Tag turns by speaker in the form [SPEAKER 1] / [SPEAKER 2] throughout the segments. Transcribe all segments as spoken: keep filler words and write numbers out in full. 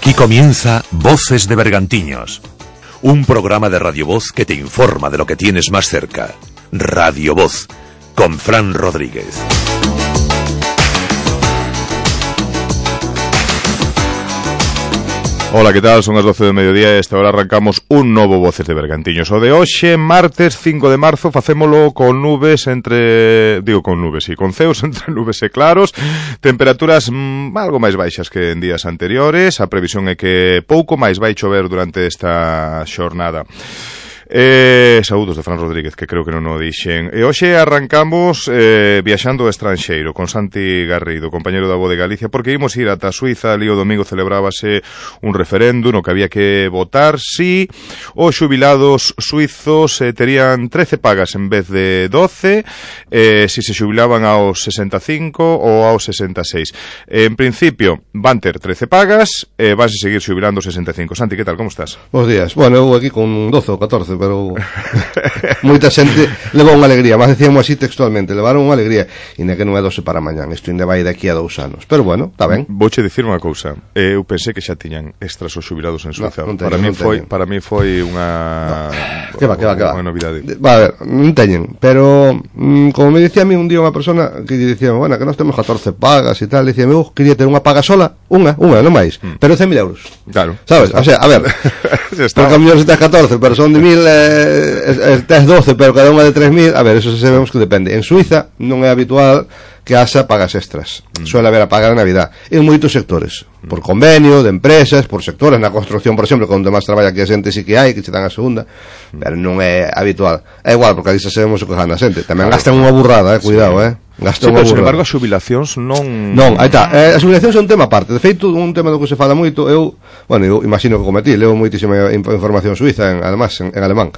[SPEAKER 1] Aquí comienza Voces de Bergantiños, un programa de Radio Voz que te informa de lo que tienes más cerca. Radio Voz, con Fran Rodríguez.
[SPEAKER 2] Ola, que tal? Son as doce do mediodía e esta hora arrancamos un novo Voces de Bergantiños. O de hoxe, martes cinco de marzo, facémolo con nubes entre... Digo con nubes, sí, con ceos entre nubes e claros, temperaturas mmm, algo máis baixas que en días anteriores. A previsión é que pouco máis vai chover durante esta xornada. Eh, saúdos de Fran Rodríguez, que creo que non o dixen. E hoxe arrancamos eh, viaxando ao estranxeiro con Santi Garrido, compañeiro da Voz de Galicia, porque imos ir ata Suiza. Ali o domingo celebrábase un referendo no que había que votar si os xubilados suizos eh, terían trece pagas en vez de doce, eh, si se xubilaban aos sesenta e cinco ou aos sesenta e seis. Eh, en principio van ter trece pagas e eh, vanse seguir xubilando sesenta e cinco. Santi, que tal? Como estás?
[SPEAKER 3] Bos días. Bueno, eu aquí con doce ou catorce, pero moita xente levou unha alegría, mas decíamos así textualmente, levaron unha alegría, ainda que non é doce para mañán, isto ainda vai daqui a dous anos, pero bueno, está ben.
[SPEAKER 2] Vouche dicir unha cousa, eu pensei que xa tiñan extras os xubilados en Suiza. No, non teñen, para mí foi, para mí foi unha
[SPEAKER 3] no. que va, que va, que va.
[SPEAKER 2] Unha novidade.
[SPEAKER 3] Va a ver, non teñen, pero mm, como me dicía a mí un día unha persona que dicía, bueno, que nós temos catorce pagas e tal, dicía, eu quería ter unha paga sola, unha, unha, non máis, mm. pero cen mil euros.
[SPEAKER 2] Claro.
[SPEAKER 3] Sabes? O sea, a ver, porque a mellor se tes catorce, pero son de mil eh, tes doce, pero cada unha de tres mil, a ver, eso se sabemos que depende. En Suiza non é habitual que haxa pagas extras. Mm. Suele haber a paga de Navidad en moitos sectores, mm. por convenio de empresas, por sectores, na construcción, por exemplo, onde máis traballa que a xente sí que hai, que che dan a segunda, mm. pero non é habitual. É igual, porque ali xa sabemos o que gana a xente. Tamén claro. Gastan unha burrada, eh, cuidado, sí. eh.
[SPEAKER 2] Sí, pero, sin embargo, as xubilacións non...
[SPEAKER 3] Non, aí está, eh, as xubilacións é un tema aparte. De feito, un tema do que se fala moito, eu, bueno, eu imagino que cometí, leo moitísima información suiza, en, además, en, en alemán.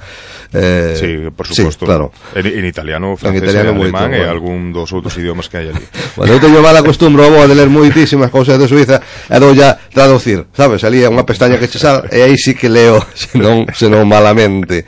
[SPEAKER 3] Eh,
[SPEAKER 2] sí, por suposto.
[SPEAKER 3] Sí, claro.
[SPEAKER 2] En, en italiano, francés, en italiano, en alemán, moito, e bueno. Algún dos outros idiomas que hai ali.
[SPEAKER 3] Bueno, eu teño mala costumbro de ler moitísimas cousas de Suiza e dou ya traducir, sabes? Salía unha pestaña que che sal e aí sí que leo, senón, senón malamente,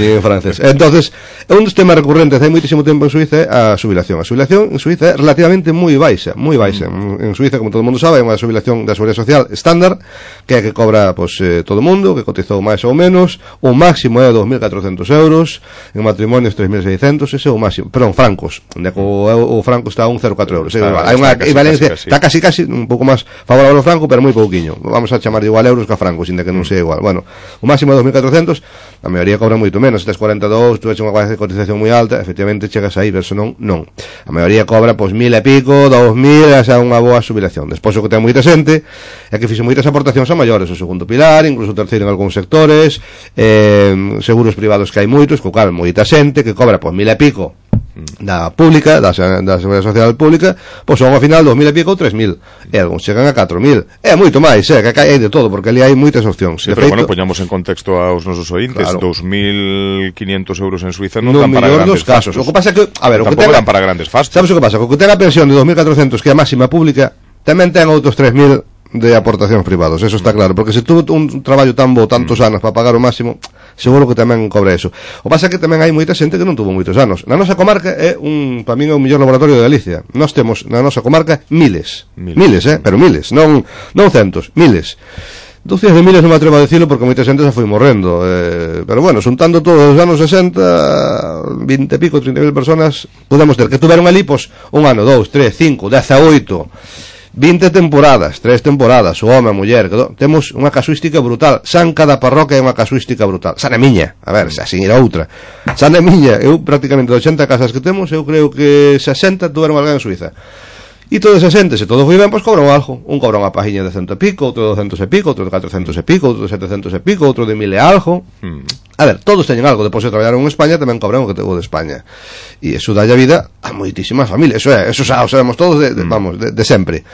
[SPEAKER 3] ni en francés. Entonces, é un dos temas recurrentes hai moitísimo tempo en Suiza a xubilación. A xubilación en Suiza é relativamente moi baixa, moi baixa. En Suiza, como todo o mundo sabe, é unha xubilación da Seguridade Social estándar, que é que cobra pois, eh, todo o mundo, que cotizou máis ou menos. O máximo é dos mil catrocentos euros, en matrimonios tres mil seiscentos, ese é o máximo. Perdón, francos, onde o, o franco está a un cero coma catro euros. Está, hai unha equivalencia, está casi casi un pouco máis favorable ao franco, pero moi pouquiño. Vamos a chamar de igual euros que a francos, inda que non sea igual. Bueno, o máximo é dos mil catrocentos, a maioría cobra moito menos. Se tes cuarenta e dous, tu eches unha cotización moi alta, efectivamente chegas aí, verso non, non. A maioría cobra pois mil e pico, dous mil, esa é unha boa xubilación. Despois o que ten moita xente é que fixe moitas aportacións a maiores, o segundo pilar, incluso o terceiro en algúns sectores, eh, seguros privados que hai moitos, co cal moita xente que cobra pois mil e pico da pública, da, da Seguridade Social pública, pois son ao final dos mil e pico ou tres mil, e algúns chegan a catro mil, é moito máis, é, que hai de todo, porque ali hai moitas opcións.
[SPEAKER 2] Sí, pero feito, bueno, poñamos en contexto aos nosos ointes, claro. dos mil quinientos euros en Suiza non dan para grandes
[SPEAKER 3] casos.
[SPEAKER 2] fastos.
[SPEAKER 3] O que pasa que, a ver, o que
[SPEAKER 2] tampouco
[SPEAKER 3] ten,
[SPEAKER 2] dan para grandes fastos.
[SPEAKER 3] Sabes o que pasa? O que ten a pensión de dos mil catrocentos, que é a máxima pública, tamén ten outros tres mil de aportacións privados, eso está claro, porque se tuvo un traballo tan bo tantos anos para pagar o máximo, seguro que tamén cobra eso. O pasa que tamén hai moita xente que non tuvo moitos anos. Na nosa comarca é un, para min é o mellor laboratorio de Galicia. Nós temos na nosa comarca miles, miles, miles eh, pero miles, non non centos, miles. Dúcias de miles non me atrevo a decirlo porque moita xente xa foi morrendo, eh, pero bueno, xuntando todos os anos sesenta, vinte e pico, trinta mil personas, podemos ter que tuveron ali, pois, un ano, dous, tres, cinco, dezaoito, vinte temporadas, tres temporadas, o home, a muller, que do, temos unha casuística brutal. San cada parroquia é unha casuística brutal. San é miña, a ver, se así era outra. San é miña, eu prácticamente de oitenta casas que temos, eu creo que sesenta tuveron alguén en Suiza. E toda esa xente, se todo foi ben, pois cobran algo. Un cobra unha pajiña de cento e pico, outro de doscientos e pico, outro de catrocentos e pico, outro de setecentos e pico, outro de mil e algo. Mm. A ver, todos teñen algo. Depois de traballar en España, tamén cobran o que tengo de España. E iso dalle a vida a moitísimas familias. Eso é, eso xa o sabemos todos, de, de, mm. vamos, de, de sempre.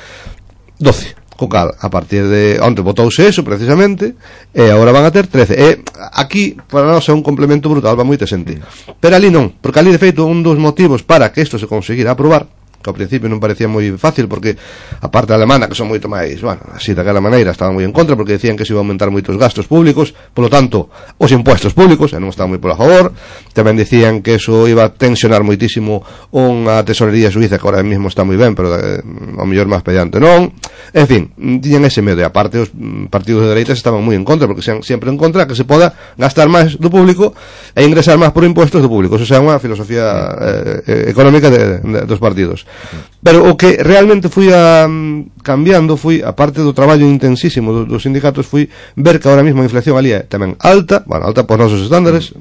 [SPEAKER 3] doce. Co cal, a partir de onte botouse eso precisamente, e agora van a ter trece. E aquí para nós é un complemento brutal, va moita xente. Pero ali non, porque ali de feito un dos motivos para que isto se conseguira aprobar que ao principio non parecía moi fácil, porque a parte alemana, que son moito máis, bueno, así daquela maneira, estaban moi en contra, porque decían que se iba a aumentar moitos gastos públicos, polo tanto, os impuestos públicos, e non estaban moi por a favor. Tamén decían que eso iba a tensionar moitísimo unha tesorería suiza, que ahora mesmo está moi ben, pero eh, ao mellor máis pediante non. En fin, tiñan ese medo, e aparte os partidos de dereitas estaban moi en contra, porque sean sempre en contra que se poda gastar máis do público e ingresar máis por impuestos do público. Eso é unha filosofía eh, económica de, de, dos partidos. Pero o que realmente fui a, cambiando foi, aparte do traballo intensísimo dos, dos sindicatos, fui ver que ahora mesmo a inflación ali é tamén alta, bueno, alta por nosos estándares,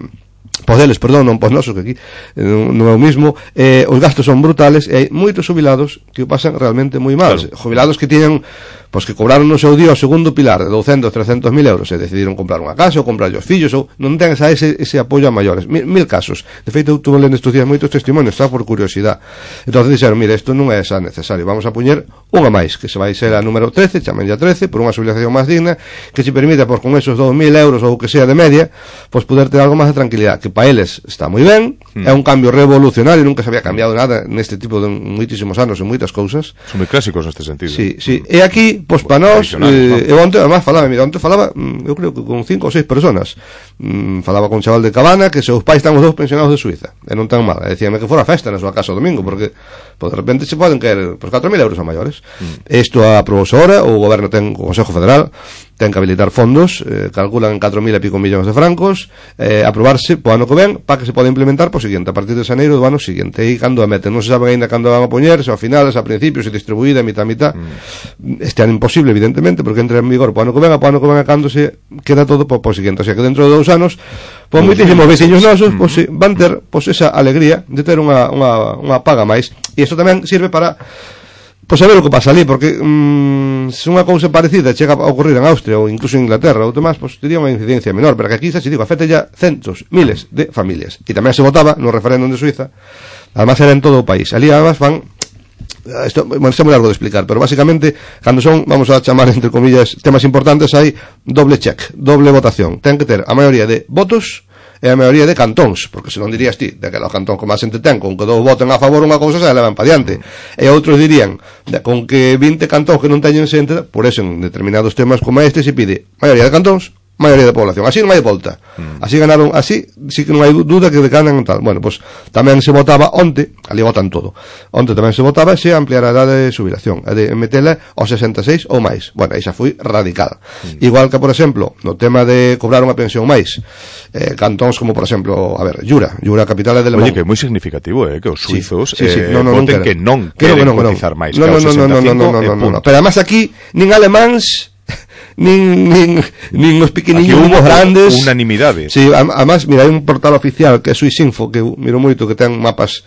[SPEAKER 3] pos deles, perdón, non pos nosos, que aquí eh, non é o mismo, eh, os gastos son brutales, e hai moitos jubilados que o pasan realmente moi mal. Claro. Jubilados que tiñan, pois que cobraron no seu día o segundo pilar de douscentos, trescentos mil euros, e decidiron comprar unha casa ou comprar os fillos, ou non ten esa, ese, ese apoio a maiores, mil, mil casos. De feito, eu tuve lendo estes días moitos testimonios, está por curiosidade. Entón dixeron, mire, isto non é xa necesario, vamos a poñer unha máis, que se vai ser a número trece, chamen ya trece, por unha jubilación máis digna, que se permita, pois con esos dous mil euros ou que sea de media, pois poder ter algo máis de tranquilidade, que para eles está moi ben, mm. é un cambio revolucionario, nunca se había cambiado nada neste tipo de moitísimos anos en moitas cousas.
[SPEAKER 2] Son moi clásicos neste sentido.
[SPEAKER 3] Sí, sí. E aquí, pois para nós, eh, eu onte, además, falaba, mira, onte falaba, eu creo que con cinco ou seis personas. Mm, falaba con un chaval de Cabana, que seus pais están os dous pensionados de Suiza, e non tan mal. E decíame que fora festa na súa casa o domingo, porque, pois, de repente se poden caer, pois, catro mil euros a maiores. Isto mm. aprobouse ahora, o goberno ten, o Consejo Federal, ten que habilitar fondos, eh, calculan en catro mil e pico millóns de francos, eh, aprobarse po ano que ven, para que se poda implementar po seguinte, a partir de xaneiro do ano seguinte. E cando a meten, non se saben ainda cando van a poñer, se a finales, a principios, se distribuída, a mitad a mitad. Mm. Este ano imposible, evidentemente, porque entra en vigor po ano que ven, a po ano que ven a cando se queda todo po, po seguinte. O sea que dentro de dous anos, pois moitísimos veciños nosos, pois pues, van ter pois pues, esa alegría de ter unha, unha, unha paga máis. E isto tamén sirve para pois saber o que pasa ali, porque mm, se unha cousa parecida chega a ocurrir en Austria ou incluso en Inglaterra ou demás, pois tería unha incidencia menor, pero que aquí xa se digo, afecta ya centos, miles de familias. E tamén se votaba no referéndum de Suiza, además era en todo o país. Ali además van, isto, bueno, isto é moi largo de explicar, pero basicamente cando son, vamos a chamar entre comillas, temas importantes, hai doble check, doble votación. Ten que ter a maioría de votos e a maioría de cantóns, porque se non dirías ti, de que o cantón con máis xente ten, con que dous voten a favor unha cousa, se levan pa diante. E outros dirían, de, con que vinte cantóns que non teñen xente, por eso en determinados temas como este se pide maioría de cantóns, maioría de población. Así non hai volta. Mm. Así ganaron, así sí que non hai duda que decanan tal. Bueno, pois pues, tamén se votaba onte, ali votan todo. Onte tamén se votaba se ampliar a edade de xubilación, a de metela aos sesenta e seis ou máis. Bueno, aí xa foi radical. Mm. Igual que, por exemplo, no tema de cobrar unha pensión máis, eh, cantóns como, por exemplo, a ver, Jura, Jura capital é de Le Mans.
[SPEAKER 2] Oye, que é moi significativo, eh, que os suizos
[SPEAKER 3] sí, sí, sí.
[SPEAKER 2] Eh,
[SPEAKER 3] No, no,
[SPEAKER 2] voten
[SPEAKER 3] non
[SPEAKER 2] que non
[SPEAKER 3] que
[SPEAKER 2] queren
[SPEAKER 3] no, no,
[SPEAKER 2] cotizar máis.
[SPEAKER 3] No, no, no, no, no, no, no, no, no, no. Pero además aquí, nin alemáns nin, nin, nin os pequeniños nin os grandes
[SPEAKER 2] unanimidade.
[SPEAKER 3] Sí, además, mira, hai un portal oficial que é Suisinfo, que eu miro moito, que ten mapas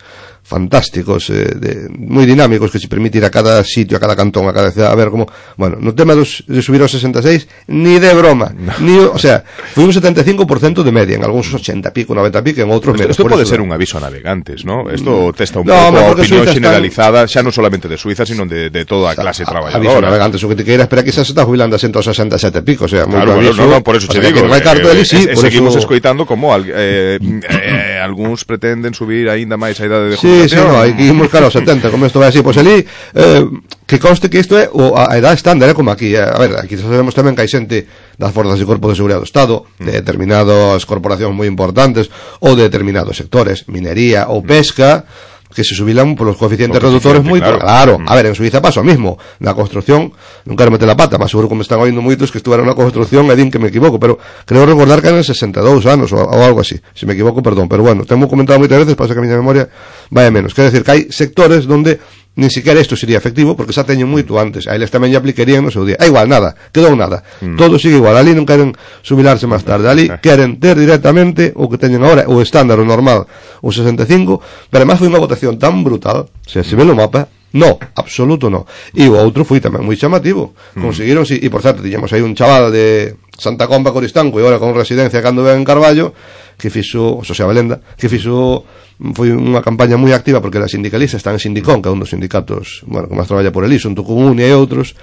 [SPEAKER 3] fantásticos, eh, de, moi dinámicos, que se permite ir a cada sitio, a cada cantón, a cada ciudad, a ver como, bueno, no tema dos, de subir aos sesenta e seis, ni de broma, no. ni, o sea, foi un setenta e cinco por ciento de media, en algúns ochenta pico, noventa pico, en outros menos.
[SPEAKER 2] Isto pode ser un aviso a navegantes, ¿no? Isto testa un no, pouco a opinión generalizada, xa non solamente de Suiza, sino de, de toda a clase o sea, traballadora. Aviso a navegantes,
[SPEAKER 3] o que te queira, espera que xa se está jubilando a ciento sesenta e sete pico, o sea,
[SPEAKER 2] claro, bueno,
[SPEAKER 3] aviso,
[SPEAKER 2] no, no, por eso te digo,
[SPEAKER 3] que non hai carto ali, sí,
[SPEAKER 2] eh,
[SPEAKER 3] por
[SPEAKER 2] seguimos
[SPEAKER 3] eso...
[SPEAKER 2] escoitando como eh, eh, algúns pretenden subir aínda máis a idade de
[SPEAKER 3] jubilación. Sí, sí, no, hai que imos cara aos setenta, como isto vai así, pois ali, eh, que conste que isto é o, a edad estándar, é como aquí, eh, a ver, aquí sabemos tamén que hai xente das forzas de corpo de seguridade do Estado, de determinadas corporacións moi importantes, ou de determinados sectores, minería ou pesca, que se subilan polos coeficientes reductores moi claro. claro. A ver, en Suiza pasa o mismo. Na construcción, non quero meter la pata, mas seguro que me están oindo moitos que estuveron na construción e din que me equivoco, pero creo recordar que eran sesenta e dous anos ou, ou algo así. Se me equivoco, perdón, pero bueno, temos comentado moitas veces, pasa que a miña memoria vai a menos. Quer decir que hai sectores donde nin siquiera isto sería efectivo, porque xa teñen moito antes. A eles tamén lle aplicarían no seu día. É igual, nada, quedou nada. Mm. Todo sigue igual. Ali non queren subilarse máis tarde. Ali queren ter directamente o que teñen agora, o estándar, o normal, o sesenta e cinco, pero además foi unha votación tan brutal, se se ve no mapa, no, absoluto no. E o outro foi tamén moi chamativo. Mm. Conseguiron, si, e por certo, tiñamos aí un chaval de Santa Comba, Coristanco, e agora con residencia cando ven en Carballo, que fixo, Xosé Abelenda, que fixo, foi unha campaña moi activa, porque era sindicalista, está en Sindicón, que é un dos sindicatos, bueno, que máis traballa por ali, xunto con Unia e outros,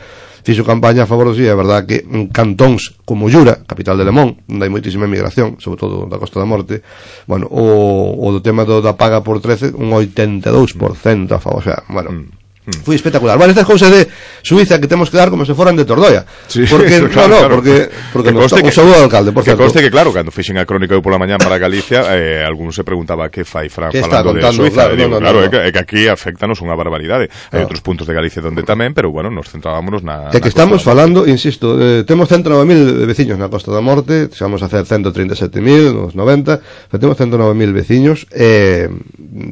[SPEAKER 3] fixo campaña a favor do sí, é verdad que en cantóns como Llura, capital de Lemón, onde hai moitísima emigración, sobre todo da Costa da Morte, bueno, o, o do tema do, da paga por trece, un oitenta e dous por cento a favor, o sea, bueno, mm. Foi espectacular. Bueno, estas cousas de Suiza que temos que dar como se foran de Tordoia.
[SPEAKER 2] Sí,
[SPEAKER 3] porque,
[SPEAKER 2] claro,
[SPEAKER 3] no, no,
[SPEAKER 2] claro.
[SPEAKER 3] porque, porque
[SPEAKER 2] que
[SPEAKER 3] nos
[SPEAKER 2] conste
[SPEAKER 3] un
[SPEAKER 2] que,
[SPEAKER 3] saludo ao alcalde, por
[SPEAKER 2] que
[SPEAKER 3] certo.
[SPEAKER 2] conste que, claro, cando fixen a crónica eu pola mañá para Galicia, eh, algún se preguntaba que fai Fran
[SPEAKER 3] que
[SPEAKER 2] falando de
[SPEAKER 3] claro,
[SPEAKER 2] Suiza. Digo,
[SPEAKER 3] no, no,
[SPEAKER 2] claro,
[SPEAKER 3] no,
[SPEAKER 2] é, que, é que aquí afectanos unha barbaridade. Hai
[SPEAKER 3] no.
[SPEAKER 2] outros puntos de Galicia donde tamén, pero, bueno, nos centrábamos na...
[SPEAKER 3] É que
[SPEAKER 2] na
[SPEAKER 3] estamos
[SPEAKER 2] Costa
[SPEAKER 3] falando, insisto, eh, temos ciento nove mil veciños na Costa da Morte, vamos a hacer ciento treinta e sete mil nos noventa, pero temos ciento nove mil veciños, eh,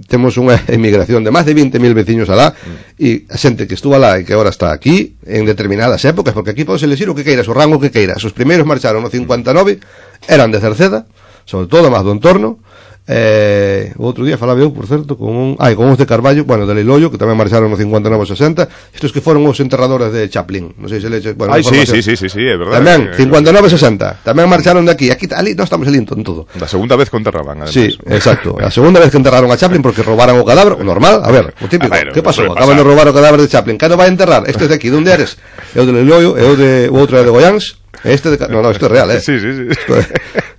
[SPEAKER 3] temos unha emigración de máis de vinte mil veciños alá, e a xente que estuvo alá e que agora está aquí en determinadas épocas, porque aquí podes elegir o que queiras, o rango que queiras. Os primeiros marcharon no cincuenta e nove, eran de Cerceda, sobre todo máis do entorno. Eh, o outro día falaba eu, por certo, con un, ai, con uns de Carballo, bueno, de Leiloio, que tamén marcharon no cincuenta e nove sesenta, estos que foron os enterradores de Chaplin, non sei se leche, bueno,
[SPEAKER 2] Ai, sí, sí, sí, sí, sí, é verdade.
[SPEAKER 3] Tamén, cincuenta e nove sesenta, tamén marcharon de aquí, aquí, ali, non estamos ali en todo.
[SPEAKER 2] Da segunda vez que enterraban, además.
[SPEAKER 3] Sí, exacto, a segunda vez que enterraron a Chaplin porque robaran o cadáver, o normal, a ver, o típico,
[SPEAKER 2] a ver,
[SPEAKER 3] que pasou?
[SPEAKER 2] Acaban
[SPEAKER 3] de roubar o cadáver de Chaplin, que non vai a enterrar? Este de aquí, de onde eres? Eu de Leiloio, eu de, o outro é de Goiáns. Este de... No, no, isto é real, eh.
[SPEAKER 2] Sí, sí, sí.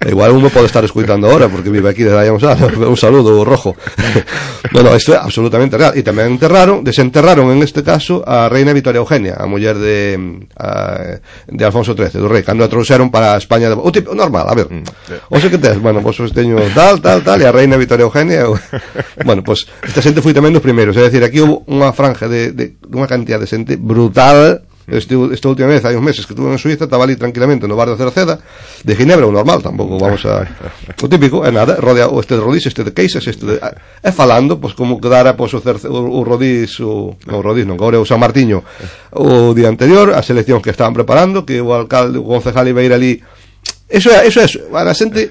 [SPEAKER 3] É... Igual uno pode estar escuitando ahora porque vive aquí desde aí uns anos. Un saludo, Rojo. No, no, isto é absolutamente real. E tamén enterraron, desenterraron en este caso a reina Victoria Eugenia, a muller de a, de Alfonso trece, do rei, cando a trouxeron para a España de... O tipo, normal, a ver. O sei que tes, bueno, vos pues, teño tal, tal, tal, e a reina Victoria Eugenia... Eu... Bueno, pues esta xente foi tamén dos primeiros. É dicir, aquí houve unha franja de, de, de unha cantidad de xente brutal. Este, esta última vez, hai uns meses que estuve en Suiza, estaba ali tranquilamente no bar de Cerceda, de Ginebra, o normal, tampouco vamos a... O típico, é nada, rodea, o este de Rodís, este de Queixas, este de... É falando, pois como quedara pois, o, cerce, o, o Rodís, o, o Rodís non, agora o San Martiño, o día anterior, as eleccións que estaban preparando, que o alcalde, o concejal iba a ir ali... Eso é, eso é, a la xente,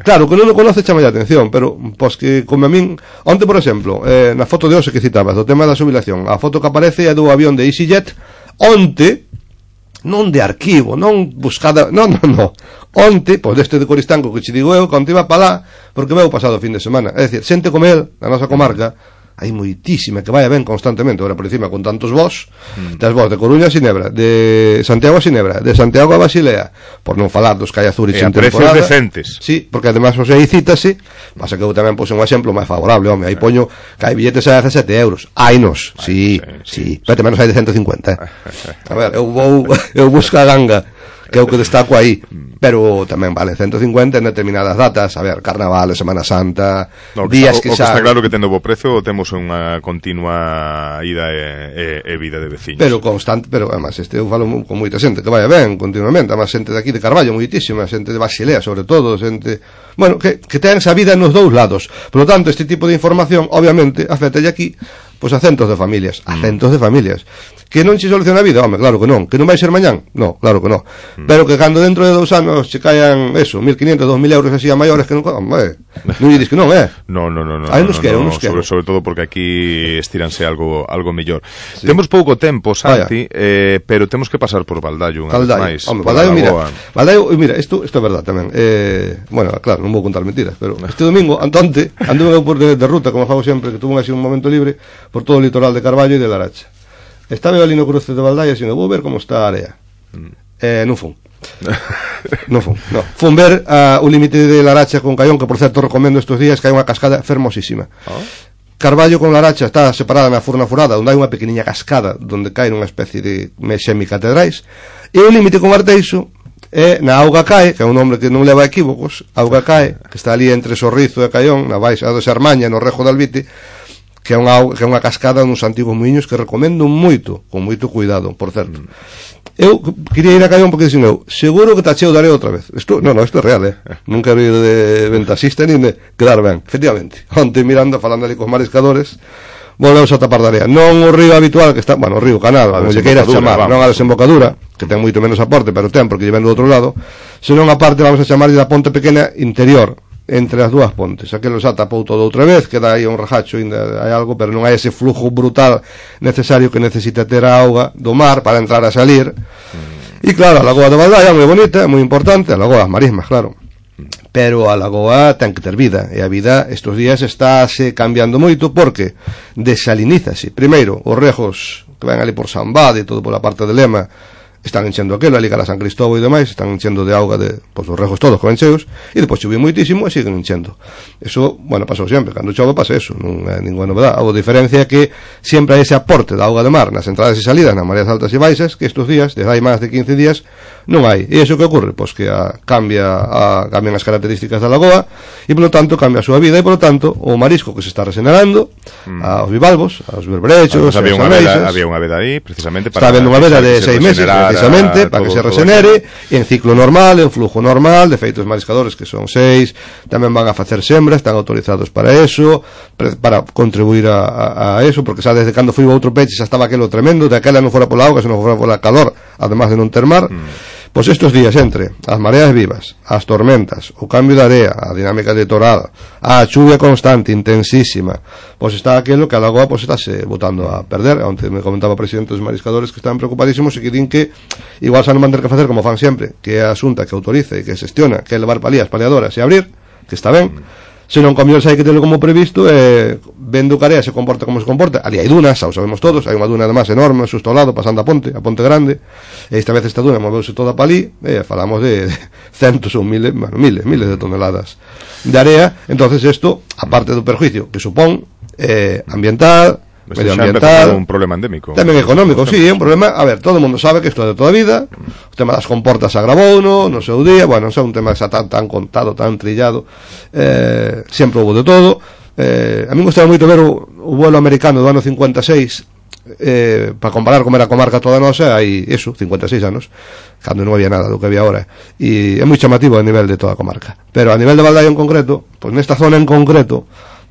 [SPEAKER 3] claro, que non o conoce chama a atención, pero, pois que, como a min, onte, por exemplo, eh, na foto de hoxe que citabas, do tema da xubilación, a foto que aparece é do avión de EasyJet, onte, non de arquivo, non buscada, non, non, non, onte, pois deste de Coristanco que che digo eu, onte iba para lá, porque veu pasado o fin de semana, é dicir, xente como el, na nosa comarca, hai moitísima que vai a ben constantemente, agora por encima con tantos vós, mm. das vós de Coruña a Ginebra, de Santiago a Ginebra, de Santiago a Basilea, por non falar dos que hai a Zurich en temporada.
[SPEAKER 2] E a precios decentes.
[SPEAKER 3] Sí, porque además os aí cítase, pasa que eu tamén puse un exemplo máis favorable, home, aí poño que hai billetes a dezasete euros, hainos, sí, sí, sí, pero menos hai de ciento cincuenta, eh. A ver, eu vou, eu busco a ganga, que é o que destaco aí, pero tamén vale ciento cincuenta en determinadas datas, a ver, Carnaval, Semana Santa,
[SPEAKER 2] no,
[SPEAKER 3] días
[SPEAKER 2] que,
[SPEAKER 3] que
[SPEAKER 2] xa...
[SPEAKER 3] xa...
[SPEAKER 2] Está claro que tendo bo prezo, temos unha continua ida e, e, e vida de veciños.
[SPEAKER 3] Pero constante, pero además, este eu falo con moita xente que vai ben continuamente, además xente de aquí de Carballo, moitísima, xente de Basilea, sobre todo, xente, bueno, que, que ten esa vida nos dous lados. Por lo tanto, este tipo de información, obviamente, afecta aquí, pois a centos de familias, a centos de familias. Que non se soluciona a vida, home, claro que non. Que non vai ser mañán? No, claro que non. Mm. Pero que cando dentro de dous anos se caian, eso, mil quinientos, dos mil euros así a maiores que non... Home, non lle dis que non, eh?
[SPEAKER 2] No, no, no, no.
[SPEAKER 3] Hai uns
[SPEAKER 2] no,
[SPEAKER 3] que,
[SPEAKER 2] no,
[SPEAKER 3] uns que.
[SPEAKER 2] Sobre, sobre todo porque aquí estiranse algo algo mellor. Sí. Temos pouco tempo, Santi, ah, eh, pero temos que pasar por Baldaio unha vez máis.
[SPEAKER 3] Home, Baldaio, mira, Baldaio, mira, isto, isto é verdad tamén. Eh, bueno, claro, non vou contar mentiras, pero este domingo, antonte, anduve por de, de ruta, como fago sempre, que tuve así un momento libre, por todo o litoral de Carballo e de Laracha. Estaba ali no cruce de Baldaia e vou ver como está a área. Mm. Eh, non fun. non fun, no. Fun ver uh, o límite de Laracha con Caión, que por certo recomendo estes días, que hai unha cascada fermosísima. Oh. Carballo con Laracha está separada na Furna Furada, onde hai unha pequeniña cascada donde cae unha especie de semicatedrais, e o límite con Arteixo é na Auga Cae, que é un nombre que non leva equívocos, Auga Cae, que está ali entre Sorrizo e Caión, na baixa de Sarmaña, no Rejo de Albite, que é unha, que é unha cascada nos antigos muiños que recomendo moito, con moito cuidado, por certo. Mm. Eu quería ir a Caión porque dixen eu, seguro que está cheo de areo outra vez. Isto, no, no, isto é real, eh. Non quero ir de ventasista nin de quedar ben, efectivamente. Onte mirando, falando ali cos mariscadores, volvemos a tapar de area. Non o río habitual que está, bueno, o río Canal, como lle queiras chamar, vamos. Non a desembocadura, que ten moito menos aporte, pero ten porque lle ven do outro lado, senón a parte, vamos a chamarlle da ponte pequena interior, entre as dúas pontes. Aquelo xa tapou todo outra vez, queda aí un rajacho, ainda hai algo, pero non hai ese flujo brutal necesario que necesita ter a auga do mar para entrar a salir. Mm. E claro, a Lagoa de Baldaia é moi bonita, é moi importante, a Lagoa das Marismas, claro. Pero a lagoa ten que ter vida, e a vida estes días estáse cambiando moito porque desalinízase. Primeiro, os regos que ven ali por San Bade e todo pola parte de Lema están enchendo aquelo, ali cara San Cristóbal e demais, están enchendo de auga de, pois, os regos todos que ven cheos, e depois choveu moitísimo e siguen enchendo. Eso, bueno, pasou sempre, cando chove pasa eso, non é ninguna novedade. A diferencia é que sempre hai ese aporte de auga de mar nas entradas e salidas, nas mareas altas e baixas, que estes días, desde hai máis de quince días, non hai. E iso que ocorre? Pois que a, cambia a, cambian as características da lagoa, e polo tanto cambia a súa vida, e polo tanto o marisco que se está regenerando, mm. aos bivalvos, aos berberechos,
[SPEAKER 2] había unha veda, había unha veda aí, precisamente, para
[SPEAKER 3] está habendo unha veda de seis meses, precisamente, para que se regenere, en ciclo normal, en flujo normal, de feito os mariscadores que son seis, tamén van a facer sembra, están autorizados para eso, para contribuir a, a, a eso, porque xa desde cando foi o outro peche xa estaba aquelo tremendo, de aquela non fora pola auga, senón fora pola calor, además de non ter mar. Mm. Pois estes días entre as mareas vivas, as tormentas, o cambio de area, a dinámica de torada, a chuvia constante, intensísima, pois está aquilo que a lagoa pois estáse botando a perder. Onte me comentaba o presidente dos mariscadores que estaban preocupadísimos e que din que igual xa non van ter que facer como fan sempre, que é a xunta que autorice e que xestiona, que é levar palías paliadoras e abrir, que está ben. Se non comió hai que terlo como previsto, eh, vendo que a area se comporta como se comporta. Ali hai dunas, xa o sabemos todos, hai unha duna además enorme, xusto ao lado, pasando a ponte, a ponte grande, e esta vez esta duna moveuse toda para ali, e falamos de, de centos ou miles, bueno, miles, miles de toneladas de area. Entonces isto, aparte do perjuicio que supón eh, ambiental, medioambiental,
[SPEAKER 2] un problema endémico,
[SPEAKER 3] tamén económico, sí, é un problema. A ver, todo o mundo sabe que isto é de toda a vida, o tema das comportas agravou no, no seu día, bueno, non é un tema que xa tan, tan contado, tan trillado, eh, sempre houve de todo. eh, a mí me gustaba moito ver o, o vuelo americano do ano cincuenta e seis, eh, para comparar como era a comarca toda nosa, hai eso, cincuenta e seis anos, cando non había nada do que había ahora, e é moi chamativo a nivel de toda a comarca. Pero a nivel de Baldaia en concreto, pois nesta zona en concreto,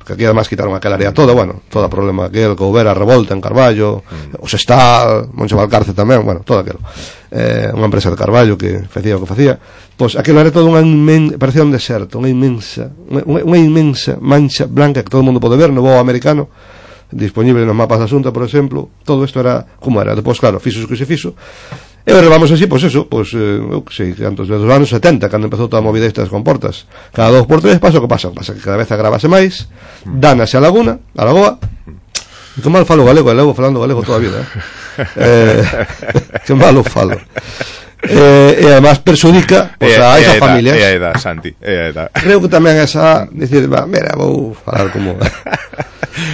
[SPEAKER 3] que aquí además quitaron aquela área toda, bueno, todo o problema aquel que houbera, revolta en Carballo, mm. o Sestal, Moncho Valcarce tamén, bueno, todo aquilo, eh, unha empresa de Carballo que facía o que facía, pois aquilo era todo unha inmensa, parecía un deserto, unha inmensa unha, unha inmensa mancha blanca que todo o mundo pode ver no voo americano, disponible nos mapas da Xunta, por exemplo. Todo isto era como era. Depois, claro, fixo o que se fixo, e levamos así, pois eso, pois, eh, eu que sei, antes dos anos setenta, cando empezou toda a movida estas comportas, cada dos por tres pasa o que pasa, pasa que cada vez agravase máis, dánase a laguna, a lagoa, e que mal falo galego, e levo falando galego toda a vida, eh, eh que mal o falo, eh, e además perxudica pois, a esas familias.
[SPEAKER 2] É a edad, Santi, é a edad.
[SPEAKER 3] Creo que tamén esa, dicir, va, mira, vou falar como...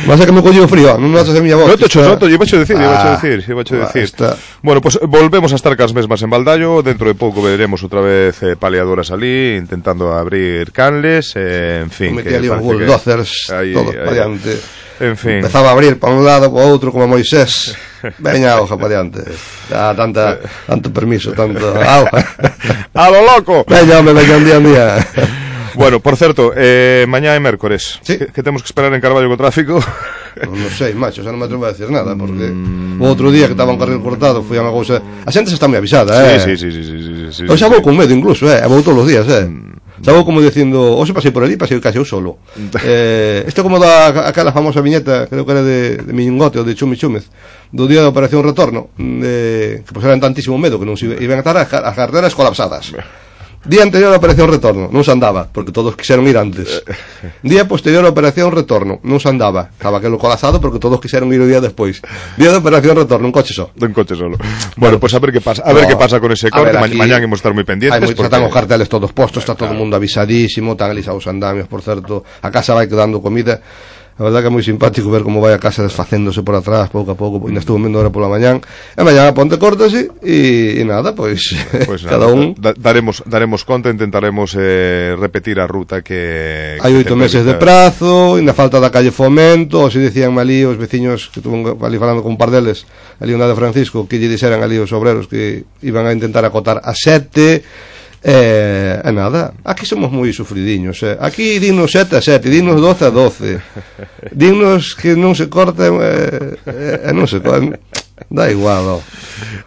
[SPEAKER 3] Vas a que me colleu frío, non notas a miña voz.
[SPEAKER 2] Non te cho noto, iba a decir, iba a decir, iba a decir. Está... Bueno, pues volvemos a estar cas mesmas en Baldaio, dentro de pouco veremos outra vez eh, paliadoras ali, intentando abrir canles, eh, en fin.
[SPEAKER 3] Me metí ali os bulldozers, que... todos para diante.
[SPEAKER 2] En fin.
[SPEAKER 3] Empezaba a abrir para un lado, para outro, como Moisés. Veña, hoja para diante. Ya, tanta, tanto permiso, tanto...
[SPEAKER 2] ¡A lo loco!
[SPEAKER 3] Veña, hombre, veña un día, un día.
[SPEAKER 2] Bueno, por certo, eh, mañá é mércores,
[SPEAKER 3] sí.
[SPEAKER 2] que, que temos que esperar en Carballo co tráfico?
[SPEAKER 3] Non, non sei, macho, xa non me atrevo a decir nada, porque mm. o outro día que estaba un carril cortado foi unha cousa... A xente xa está moi avisada, eh?
[SPEAKER 2] Sí, sí, sí, sí, sí, sí, sí,
[SPEAKER 3] eu xa vou
[SPEAKER 2] sí.
[SPEAKER 3] con medo incluso, eh? Vou todos os días, eh? Mm. Xa vou como dicindo, hoxe pasei por ali, pasei case eu solo. eh, isto como da aquela famosa viñeta, creo que era de, de Miñungote ou de Chumi Chúmez, do día da Operación Retorno, de, que pues, eran tantísimo medo que non se iban a estar as, as carreteras colapsadas. Día anterior á Operación Retorno, non se andaba, porque todos quixeron ir antes. Día posterior á Operación Retorno, non se andaba, estaba aquelo colapsado porque todos quixeron ir o día despois. Día da Operación Retorno, un coche só.
[SPEAKER 2] Un coche solo. Bueno, pues a ver que pasa, a ver no, que pasa con ese corte, ma mañán imos estar moi pendientes.
[SPEAKER 3] Hai moitos, porque... están os carteles todos postos, está todo o mundo avisadísimo, están alisados os andamios, por certo, a casa vai quedando comida. A verdade que é moi simpático ver como vai a casa desfacéndose por atrás, pouco a pouco, ainda estuvo vendo ahora pola mañán, e mañán a ponte cortase, e, e nada, pois, pues cada nada, un...
[SPEAKER 2] Da, daremos, daremos conta, intentaremos eh, repetir a ruta que...
[SPEAKER 3] Hai oito meses de prazo, ainda falta da calle Fomento, se dicían ali os veciños, que estuvo ali falando con un par deles, ali unha de Francisco, que lle dixeran ali os obreros que iban a intentar acotar a sete... Eh, e nada, aquí somos moi sufridiños, eh. Aquí dinos sete a sete, dinos doce a doce, dinos que non se corten, eh, eh, non se corten, da igual, oh.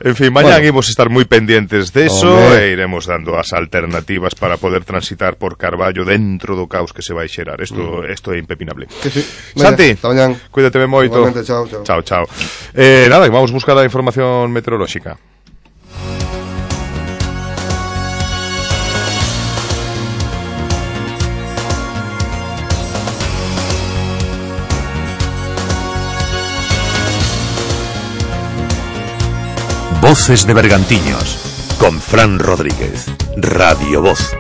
[SPEAKER 2] En fin, mañán bueno, imos estar moi pendientes deso e iremos dando as alternativas para poder transitar por Carballo dentro do caos que se vai xerar. Isto mm. isto é impepinable.
[SPEAKER 3] Que sí.
[SPEAKER 2] Santi,
[SPEAKER 3] mañá,
[SPEAKER 2] cuídate moito.
[SPEAKER 3] Chao, chao.
[SPEAKER 2] Chao, chao. Eh, nada, vamos buscar a información meteorolóxica.
[SPEAKER 1] Voces de Bergantiños, con Fran Rodríguez, Radio Voz.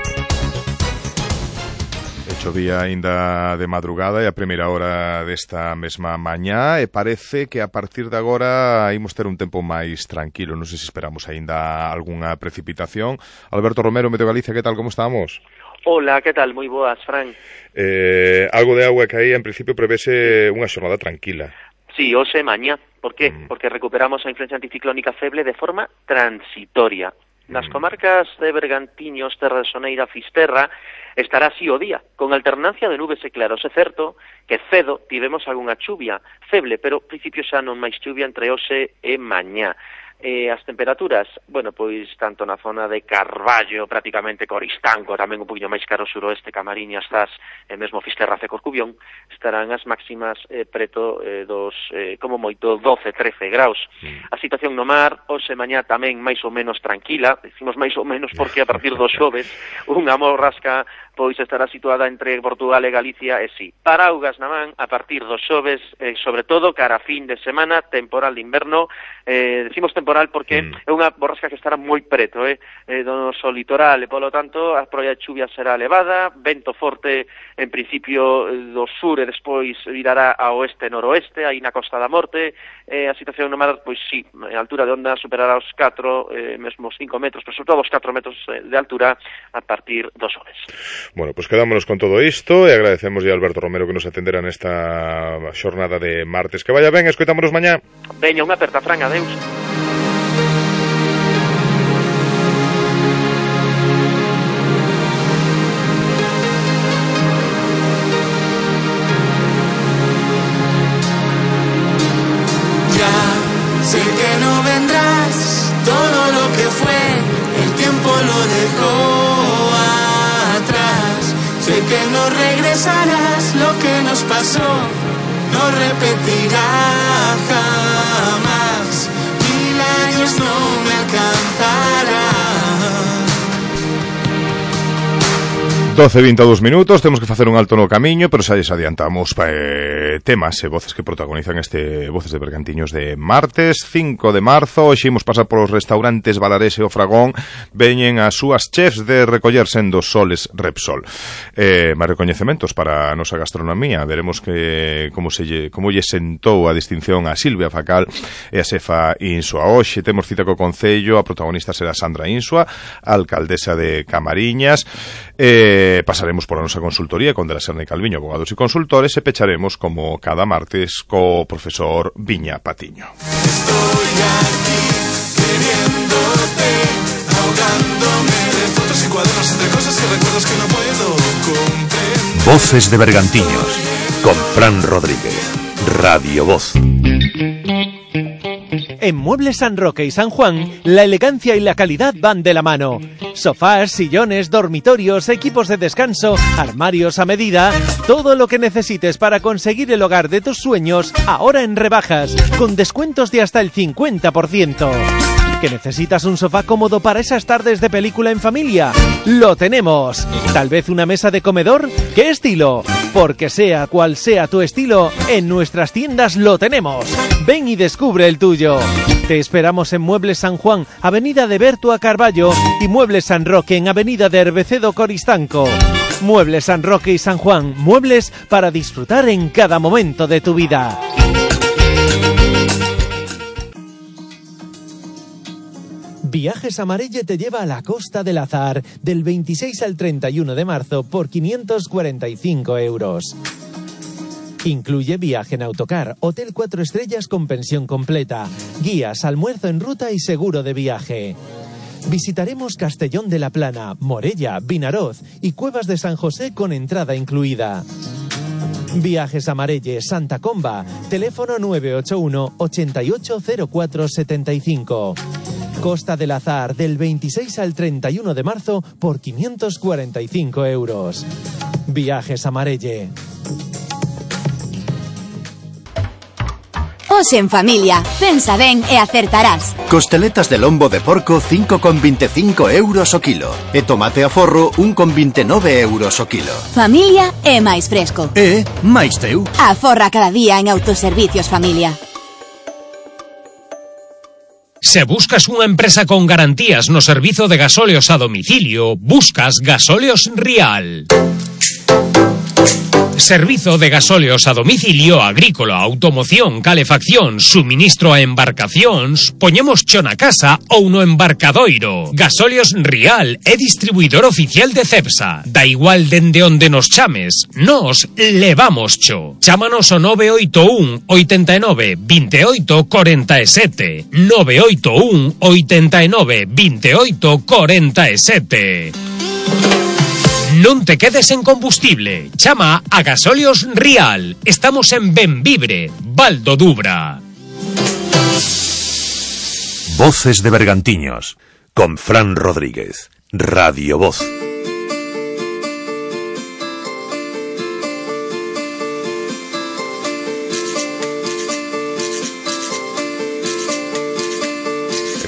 [SPEAKER 2] Chovía aínda de madrugada e a primeira hora desta mesma mañá e parece que a partir de agora imos ter un tempo máis tranquilo. Non sei se esperamos aínda algunha precipitación. Alberto Romero, Meteo Galicia, que tal, como estamos?
[SPEAKER 4] Hola, que tal? Moi boas, Fran.
[SPEAKER 2] Eh, algo de agua que aí, en principio, prevese unha xornada tranquila.
[SPEAKER 4] Sí, hoxe mañá. Por qué?
[SPEAKER 2] Mm.
[SPEAKER 4] Porque recuperamos a influencia anticiclónica feble de forma transitoria. Nas comarcas de Bergantiños, Terra de Soneira, Fisterra, estará así o día, con alternancia de nubes e claros. É certo que cedo tivemos algunha chuvia feble, pero principio xa non máis chuvia entre hoxe e mañá. Eh, as temperaturas, bueno, pois tanto na zona de Carballo, prácticamente Coristanco, tamén un poquinho máis caro suroeste, Camariñas, Zas, e mesmo Fisterra e Corcubión, estarán as máximas eh, preto eh, dos, eh, como moito, doce, trece graus. Mm. A situación no mar, hoxe mañá tamén máis ou menos tranquila, decimos máis ou menos porque a partir dos xoves, unha morrasca pois estará situada entre Portugal e Galicia, e si, paraugas na man a partir dos xoves, eh, sobre todo cara a fin de semana, temporal de inverno, eh, decimos temporal porque mm. é unha borrasca que estará moi preto, eh, eh, do noso litoral, e polo tanto a probabilidade de chuvia será elevada, vento forte en principio do sur e despois virará a oeste-noroeste, aí na Costa da Morte, eh, a situación no mar, pois si, a altura de onda superará os catro, eh, mesmo os cinco metros, pero sobre todo os catro metros de altura a partir dos xoves.
[SPEAKER 2] Bueno, pois pues quedámonos con todo isto e agradecemos a Alberto Romero que nos atendera nesta xornada de martes. Que vaya ben, escoitámonos mañá.
[SPEAKER 4] Veña, unha aperta, Fran, adeus.
[SPEAKER 5] Ya sé que no vendrás, todo lo que fue, el tiempo lo dejó. Sé que no regresarás, lo que nos pasó no repetirá jamás. Mil años no me alcanzarán.
[SPEAKER 2] doce e vinte e dous minutos, temos que facer un alto no camiño, pero xa lles adiantamos eh, temas e voces que protagonizan este Voces de Bergantiños de martes cinco de marzo. Hoxe imos pasar polos restaurantes Valarés e o Fragón. Veñen as súas chefs de recoller sendo Soles Repsol. Eh, máis recoñecementos para a nosa gastronomía. Veremos que como se lle, como lle sentou a distinción a Silvia Facal e a xefa Insua. Hoxe temos cita co Concello, a protagonista será Sandra Insua, alcaldesa de Camariñas. Eh, pasaremos por a nosa consultoría con de la Serna e Calviño, abogados e consultores, e pecharemos como cada martes co profesor Viña Patiño.
[SPEAKER 5] Estoy aquí queriéndote, ahogándome de fotos y cuadernos entre cosas y recuerdos que no puedo comprender.
[SPEAKER 1] Voces de Bergantiños, con Fran Rodríguez, Radio Voz.
[SPEAKER 6] En Muebles San Roque y San Juan, la elegancia y la calidad van de la mano. Sofás, sillones, dormitorios, equipos de descanso, armarios a medida, todo lo que necesites para conseguir el hogar de tus sueños, ahora en rebajas, con descuentos de hasta el cincuenta por ciento. ¿Que necesitas un sofá cómodo para esas tardes de película en familia? ¡Lo tenemos! ¿Tal vez una mesa de comedor? ¿Qué estilo? Porque sea cual sea tu estilo, en nuestras tiendas lo tenemos. Ven y descubre el tuyo. Te esperamos en Muebles San Juan, Avenida de Bertua Carballo, y Muebles San Roque en Avenida de Herbecedo Coristanco. Muebles San Roque y San Juan, muebles para disfrutar en cada momento de tu vida. Viajes Amarelle te lleva a la Costa del Azar del veintiséis al treinta y uno de marzo por quinientos cuarenta y cinco euros. Incluye viaje en autocar, hotel cuatro estrellas con pensión completa, guías, almuerzo en ruta y seguro de viaje. Visitaremos Castellón de la Plana, Morella, Vinaroz y Cuevas de San José con entrada incluida. Viajes Amarelle, Santa Comba, teléfono nueve ocho uno, ochenta y ocho cero cuatro setenta y cinco. Costa del Azar del veintiséis al treinta y uno de marzo por quinientos cuarenta y cinco euros. Viajes Amarelle.
[SPEAKER 7] Hoxe en familia, pensa ben e acertarás.
[SPEAKER 8] Costeletas de lombo de porco cinco con veinticinco euros o kilo. E tomate a forro un con veintinueve euros o kilo.
[SPEAKER 7] Familia é máis fresco.
[SPEAKER 8] E máis teu.
[SPEAKER 7] Aforra cada día en Autoservicios Familia.
[SPEAKER 9] Se buscas unha empresa con garantías no servizo de gasóleos a domicilio, buscas Gasóleos Rial. Servizo de gasóleos a domicilio agrícola, automoción, calefacción, suministro a embarcacións, poñemos cho na casa ou no embarcadoiro. Gasóleos Rial é distribuidor oficial de Cepsa. Da igual dende onde nos chames, nos levamos cho. Chámanos ao nove oito un, oitenta e nove, vinte e oito, corenta e sete. nove oito un, oitenta e nove, vinte e oito, corenta e sete. Non te quedes en combustible. Chama a Gasóleos Rial. Estamos en Benvibre, Val do Dubra.
[SPEAKER 1] Voces de Bergantiños, con Fran Rodríguez, Radio Voz.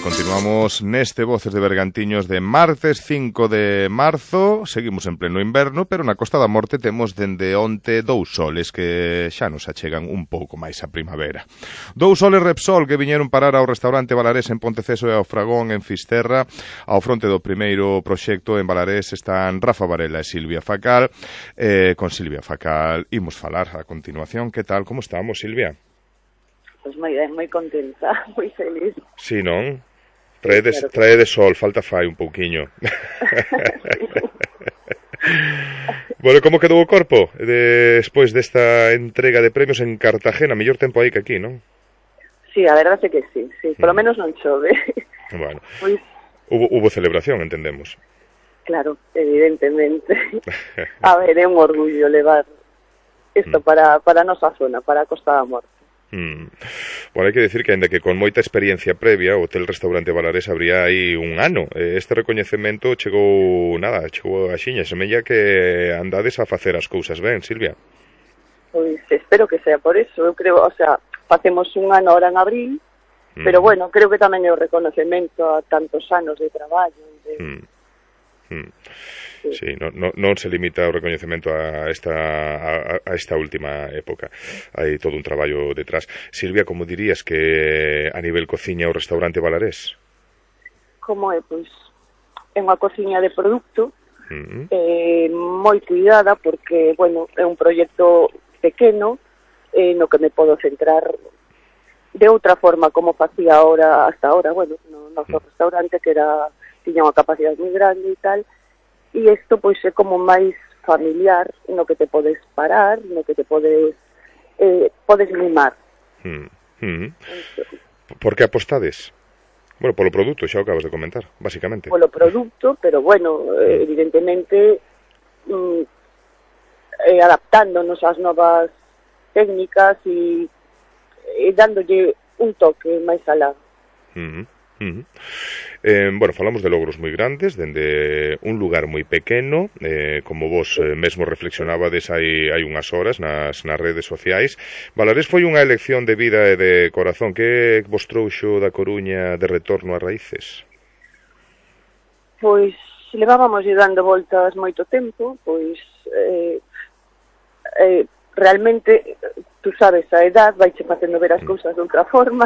[SPEAKER 2] Continuamos neste Voces de Bergantiños de martes cinco de marzo. Seguimos en pleno inverno, pero na Costa da Morte temos dende onte dous soles que xa nos achegan un pouco máis a primavera. Dous soles Repsol que viñeron parar ao restaurante Balarés en Ponteceso e ao Fragón en Fisterra. Ao fronte do primeiro proxecto en Balarés están Rafa Varela e Silvia Facal. Eh, con Silvia Facal imos falar a continuación. Que tal? Como estamos, Silvia?
[SPEAKER 10] Pois moi ben, moi contenta, moi feliz.
[SPEAKER 2] Sí, non? Trae de, trae de sol, falta fai un pouquiño. Bueno, como quedou o corpo despois desta entrega de premios en Cartagena? Mellor tempo aí que aquí, non?
[SPEAKER 10] Sí, a verdade é que sí, sí, polo menos non chove.
[SPEAKER 2] Bueno,
[SPEAKER 10] Pois,
[SPEAKER 2] hubo, hubo celebración, entendemos.
[SPEAKER 10] claro, evidentemente. A ver, é un orgullo levar isto para, para a nosa zona, para a Costa da Morte.
[SPEAKER 2] Mm. Bueno, hai que decir que, ainda que con moita experiencia previa, o Hotel Restaurante Balarés abría aí un ano. Este recoñecemento chegou, nada, chegou a xiña, semella que andades a facer as cousas ben, Silvia.
[SPEAKER 10] Pois espero que sea por eso, eu creo, o sea, facemos un ano ahora en abril, mm. pero bueno, creo que tamén é o reconocemento a tantos anos de traballo. De...
[SPEAKER 2] Mm. Mm. Sí, non no, no se limita o recoñecemento a esta, a, a esta última época. Hai todo un traballo detrás. Silvia, como dirías que a nivel cociña o restaurante Balarés?
[SPEAKER 10] Como é, pois, é unha cociña de produto,
[SPEAKER 2] Mm.
[SPEAKER 10] eh, moi cuidada, porque, bueno, é un proxecto pequeno, eh, no que me podo centrar de outra forma como facía ahora, hasta ahora, bueno, no noso mm. restaurante, que era, tiña unha capacidade moi grande e tal. E isto, pois, é como máis familiar, no que te podes parar, no que te podes eh, podes mimar.
[SPEAKER 2] Mm. Mm. Por que apostades? Bueno, polo produto, xa o acabas de comentar, basicamente.
[SPEAKER 10] Polo produto, pero, bueno, eh, evidentemente, mm, eh, adaptándonos ás novas técnicas e, e dándolle un toque máis alá.
[SPEAKER 2] Mm. Uh-huh. Eh, bueno, falamos de logros moi grandes dende un lugar moi pequeno, eh, como vos eh, mesmo reflexionabades hai, hai unhas horas nas, nas redes sociais. Balarés foi unha elección de vida e de corazón. Que vos trouxo da Coruña de retorno a raíces?
[SPEAKER 10] Pois levábamos dando voltas moito tempo, pois eh, eh, realmente, tú sabes, a edad vaiche facendo ver as cousas de outra forma.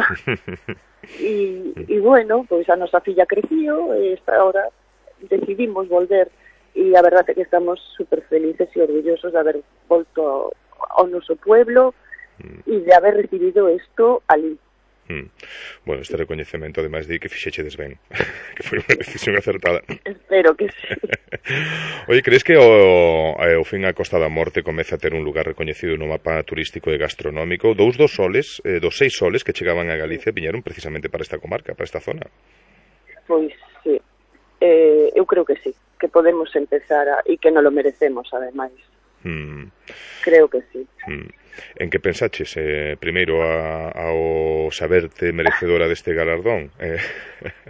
[SPEAKER 10] E, e bueno, pois a nosa filla creció e esta hora decidimos volver e a verdade é que estamos super felices e orgullosos de haber volto ao, ao noso pueblo e de haber recibido isto ali.
[SPEAKER 2] Mm. Bueno, este recoñecemento ademais de que fixechedes ben, que foi unha decisión acertada.
[SPEAKER 10] Espero que sí.
[SPEAKER 2] Oye, crees que o, o fin a Costa da Morte comeza a ter un lugar recoñecido no mapa turístico e gastronómico? Dous dos soles, eh, dos seis soles que chegaban a Galicia viñeron precisamente para esta comarca, para esta zona.
[SPEAKER 10] Pois sí, eh, eu creo que sí, que podemos empezar a, e que non lo merecemos ademais.
[SPEAKER 2] Mm.
[SPEAKER 10] Creo que sí.
[SPEAKER 2] Mm. En que pensaches, eh, primeiro a, ao saberte merecedora deste galardón? Eh...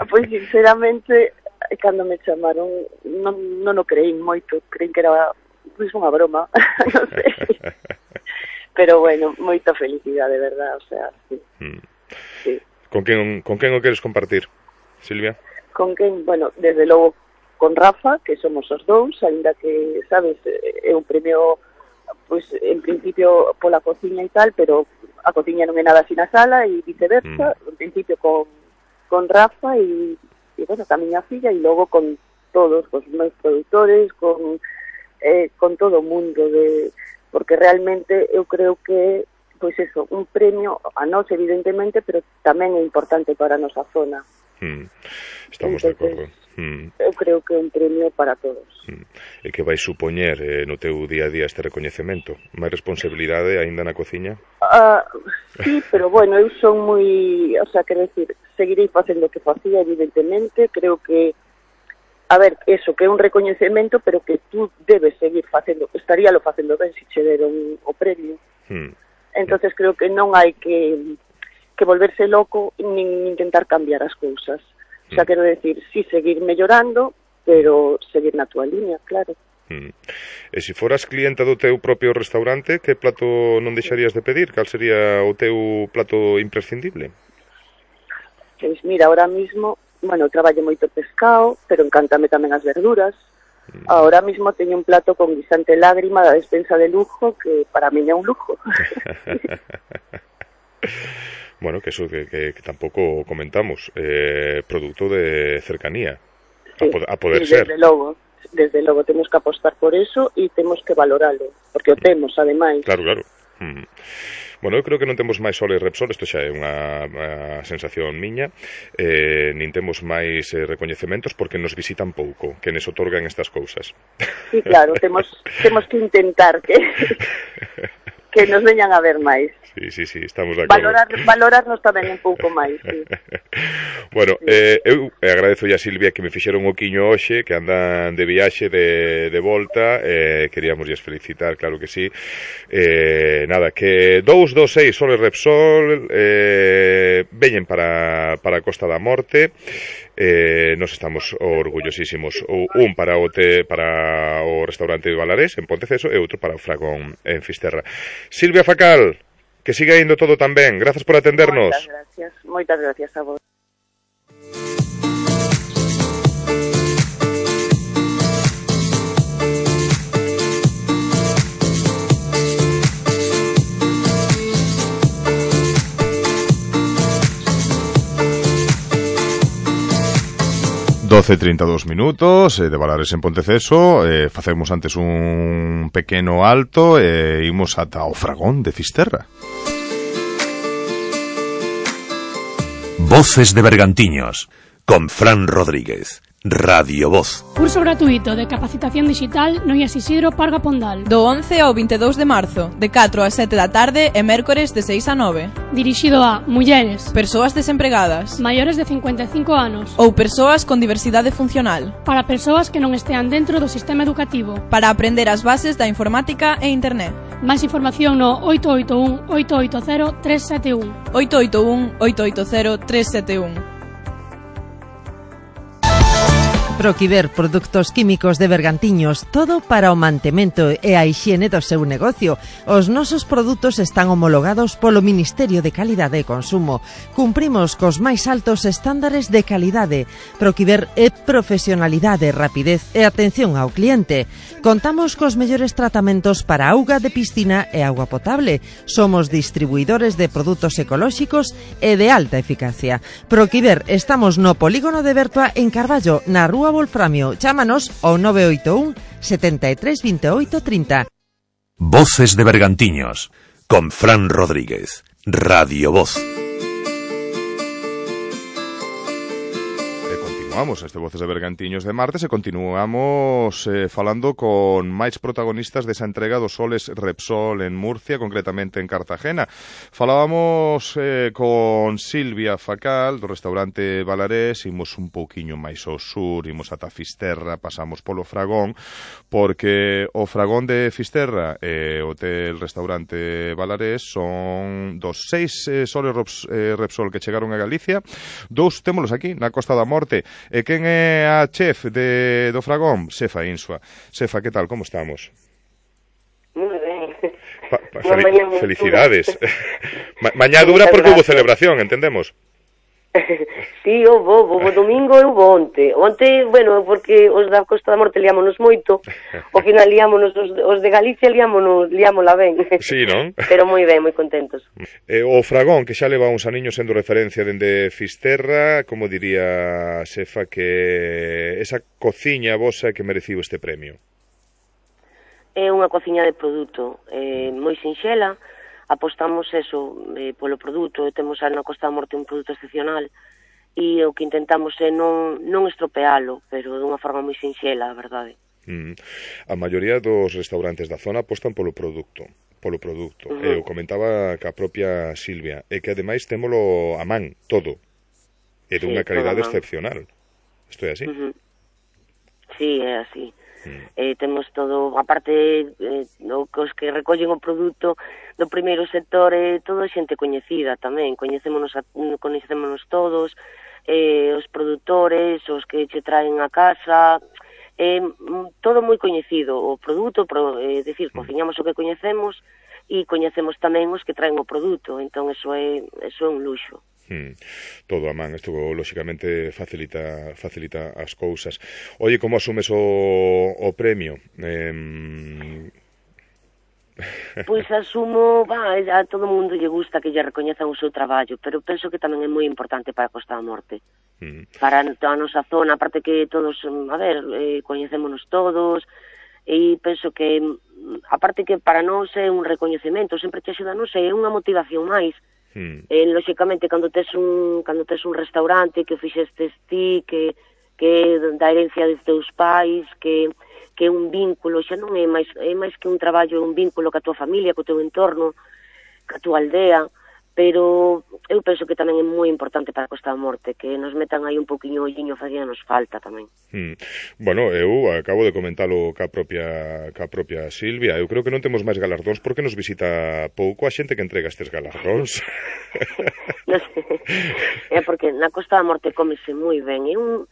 [SPEAKER 10] Pois sinceramente, cando me chamaron non, non o creín moito, creín que era pois unha broma, non sei. Pero bueno, moita felicidade, de verdad, o sea, sí.
[SPEAKER 2] Mm.
[SPEAKER 10] Sí.
[SPEAKER 2] Con quen, con quen o queres compartir, Silvia?
[SPEAKER 10] Con quen, bueno, desde logo con Rafa, que somos os dous, ainda que, sabes, é un premio pois en principio pola cociña e tal, pero a cociña non é nada así na sala e viceversa, mm. en principio con, con Rafa e, e bueno, ca miña filla, e logo con todos os meus produtores, con eh, con todo o mundo, de porque realmente eu creo que pois eso, un premio a nós evidentemente, pero tamén é importante para a nosa zona.
[SPEAKER 2] Mm. Estamos
[SPEAKER 10] Entonces,
[SPEAKER 2] de acordo. Mm.
[SPEAKER 10] Eu creo que é un premio para todos.
[SPEAKER 2] Mm. E que vai supoñer eh, no teu día a día este recoñecemento? Máis responsabilidade aínda na cociña?
[SPEAKER 10] Uh, sí, pero bueno, eu son moi, o sea, quero decir, seguirei facendo o que facía, evidentemente, creo que a ver, eso, que é un recoñecemento, pero que tú debes seguir facendo, estaríalo facendo ben se che deron o premio. Mm. Entonces creo que non hai que que volverse loco nin intentar cambiar as cousas. O sea, mm. quero decir, sí seguir mellorando, pero seguir na túa línea, claro.
[SPEAKER 2] Mm. E se foras clienta do teu propio restaurante, que plato non deixarías de pedir? Cal sería o teu plato imprescindible?
[SPEAKER 10] Pois mira, ahora mismo, bueno, traballo moito pescado, pero encántame tamén as verduras. Mm. Ahora mismo teño un plato con guisante lágrima da despensa de lujo, que para mí é un lujo.
[SPEAKER 2] Bueno, que eso que, que, que tampouco comentamos, eh, producto de cercanía, sí, a, pod a poder
[SPEAKER 10] sí,
[SPEAKER 2] ser.
[SPEAKER 10] Desde logo, desde logo temos que apostar por eso e temos que valoralo, porque o temos, ademais.
[SPEAKER 2] Claro, claro. Mm. Bueno, eu creo que non temos máis Sol e Repsol, isto xa é unha, unha sensación miña, eh, nin temos máis eh, recoñecementos porque nos visitan pouco, que nos otorgan estas cousas.
[SPEAKER 10] Sí, claro, temos, temos que intentar que... que nos veñan a ver máis.
[SPEAKER 2] Sí, sí, sí, estamos de acordo.
[SPEAKER 10] Valorar, valorarnos tamén un pouco máis, sí.
[SPEAKER 2] Bueno, sí. eh, eu agradezo a Silvia que me fixeron o quiño hoxe, que andan de viaxe de, de volta, eh, queríamos lles felicitar, claro que sí. Eh, nada, que dous dos seis Sol e Repsol eh, veñen para, para a Costa da Morte. Eh, nos estamos orgullosísimos, un para o te, para o restaurante de Valarés en Ponteceso e outro para o Fragón en Fisterra. Silvia Facal, que siga indo todo tan ben, grazas por atendernos.
[SPEAKER 10] Moitas gracias, moitas gracias a vos.
[SPEAKER 2] doce e trinta e dous minutos eh, de Valares en Ponteceso, eh, facemos antes un pequeno alto e eh, imos ata o Fragón de Fisterra.
[SPEAKER 1] Voces de Bergantiños con Fran Rodríguez. Radio Voz.
[SPEAKER 11] Curso gratuito de capacitación digital no I A S Isidro Parga Pondal.
[SPEAKER 12] Do once ao vinte e dous de marzo, de catro a sete da tarde e mércores de seis a nove.
[SPEAKER 11] Dirixido a mulleres,
[SPEAKER 12] persoas desempregadas,
[SPEAKER 11] maiores de cincuenta e cinco anos
[SPEAKER 12] ou persoas con diversidade funcional.
[SPEAKER 11] Para persoas que non estean dentro do sistema educativo.
[SPEAKER 12] Para aprender as bases da informática e internet.
[SPEAKER 11] Máis información no oito oito un, oito oito cero, tres sete un.
[SPEAKER 12] oito oito un, oito oito cero, tres sete un.
[SPEAKER 13] Proquiver Produtos Químicos de Bergantiños, todo para o mantemento e a hixiene do seu negocio. Os nosos produtos están homologados polo Ministerio de Calidade e Consumo. Cumprimos cos máis altos estándares de calidade. Proquiver é profesionalidade, rapidez e atención ao cliente. Contamos cos mellores tratamentos para auga de piscina e auga potable. Somos distribuidores de produtos ecolóxicos e de alta eficacia. Proquiver, estamos no polígono de Bertua en Carballo, na Rúa Wolframio. Chámanos ao nove oito un, setenta e tres, veintiocho, treinta.
[SPEAKER 1] Voces de Bergantiños con Fran Rodríguez. Radio Voz.
[SPEAKER 2] Continuamos este Voces de Bergantiños de martes e continuamos eh, falando con máis protagonistas desa entrega dos Soles Repsol en Murcia, concretamente en Cartagena. Falábamos eh, con Silvia Facal do restaurante Valarés, imos un pouquiño máis ao sur, imos ata Fisterra, pasamos polo Fragón, porque o Fragón de Fisterra e o hotel restaurante Valarés son dos seis eh, Soles eh, Repsol que chegaron a Galicia, dous témolos aquí na Costa da Morte. E quen é a chef de, do Fragón? Sefa Insua. Sefa, que tal? Como estamos?
[SPEAKER 14] Moi ben.
[SPEAKER 2] Pa, pa, fel felicidades. Ma mañá dura porque hubo celebración, entendemos?
[SPEAKER 14] Sí, o bo, o domingo eu vou onte. Onte, bueno, porque os da Costa da Morte liámonos moito, ao final liámonos, os, os de Galicia liámonos, liámola ben.
[SPEAKER 2] Sí, non?
[SPEAKER 14] Pero moi ben, moi contentos.
[SPEAKER 2] Eh, o Fragón, que xa leva uns aniños sendo referencia dende Fisterra, como diría a xefa, que esa cociña vosa que mereciu este premio?
[SPEAKER 14] É unha cociña de produto, eh, moi sinxela, apostamos eso eh, polo produto, e temos na Costa da Morte un produto excepcional, e o que intentamos é non, non estropealo, pero dunha forma moi sinxela, a verdade.
[SPEAKER 2] Mm. A maioría dos restaurantes da zona apostan polo produto, polo produto.
[SPEAKER 14] Uh-huh.
[SPEAKER 2] Eu comentaba que a propia Silvia, e que ademais témolo a man, todo, e de
[SPEAKER 14] Sí,
[SPEAKER 2] unha calidade
[SPEAKER 14] todo a man.
[SPEAKER 2] excepcional. Isto é así?
[SPEAKER 14] Uh-huh. Sí, é así. Mm. Eh, temos todo, aparte eh, o, os que recollen o produto do primeiro sector, eh, todo xente coñecida tamén, coñecémonos, a, coñecémonos todos, eh, os produtores, os que che traen a casa, eh, todo moi coñecido, o produto, pro, eh, decir, cociñamos o que coñecemos e coñecemos tamén os que traen o produto, entón eso é, eso é un luxo.
[SPEAKER 2] Hmm. Todo a man, isto lóxicamente facilita facilita as cousas. Oye, como asumes o, o premio? Eh...
[SPEAKER 14] Pois asumo, va, a todo mundo lle gusta que lle recoñezan o seu traballo, pero penso que tamén é moi importante para a Costa da Morte. Hmm. Para a nosa zona, aparte que todos, a ver, eh, coñecémonos todos, e penso que, aparte que para nós é un recoñecemento, sempre te axuda, non sei, é unha motivación máis. Hmm. Eh, lóxicamente, cando tes un cando tes un restaurante que o fixestes ti, que que da herencia dos teus pais, que que é un vínculo, xa non é máis é máis que un traballo, é un vínculo ca tua familia, co teu entorno, ca tua aldea, pero eu penso que tamén é moi importante para a Costa da Morte, que nos metan aí un poquinho olliño, facía nos falta tamén.
[SPEAKER 2] Hmm. Bueno, eu acabo de comentalo ca propia ca propia Silvia. Eu creo que non temos máis galardóns porque nos visita pouco a xente que entrega estes galardóns.
[SPEAKER 14] Non sei, é porque na Costa da Morte comese moi ben, é un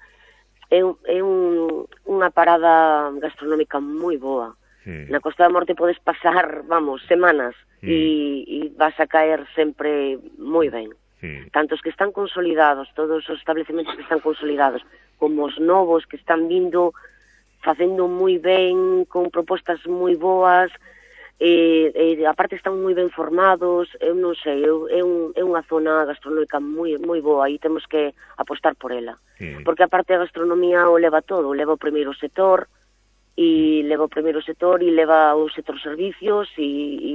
[SPEAKER 14] é, un, é un, unha parada gastronómica moi boa. Hmm. Na Costa da Morte podes pasar, vamos, semanas hmm. e, e vas a caer sempre moi ben. Hmm. Tanto os que están consolidados, todos os establecementos que están consolidados, como os novos que están vindo facendo moi ben, con propostas moi boas, e, e aparte están moi ben formados, eu non sei, eu, é, un, é unha zona gastronómica moi moi boa e temos que apostar por ela. Hmm. Porque aparte a gastronomía o leva todo, o leva o primeiro sector, e leva o primeiro sector e leva o sector servicios e, e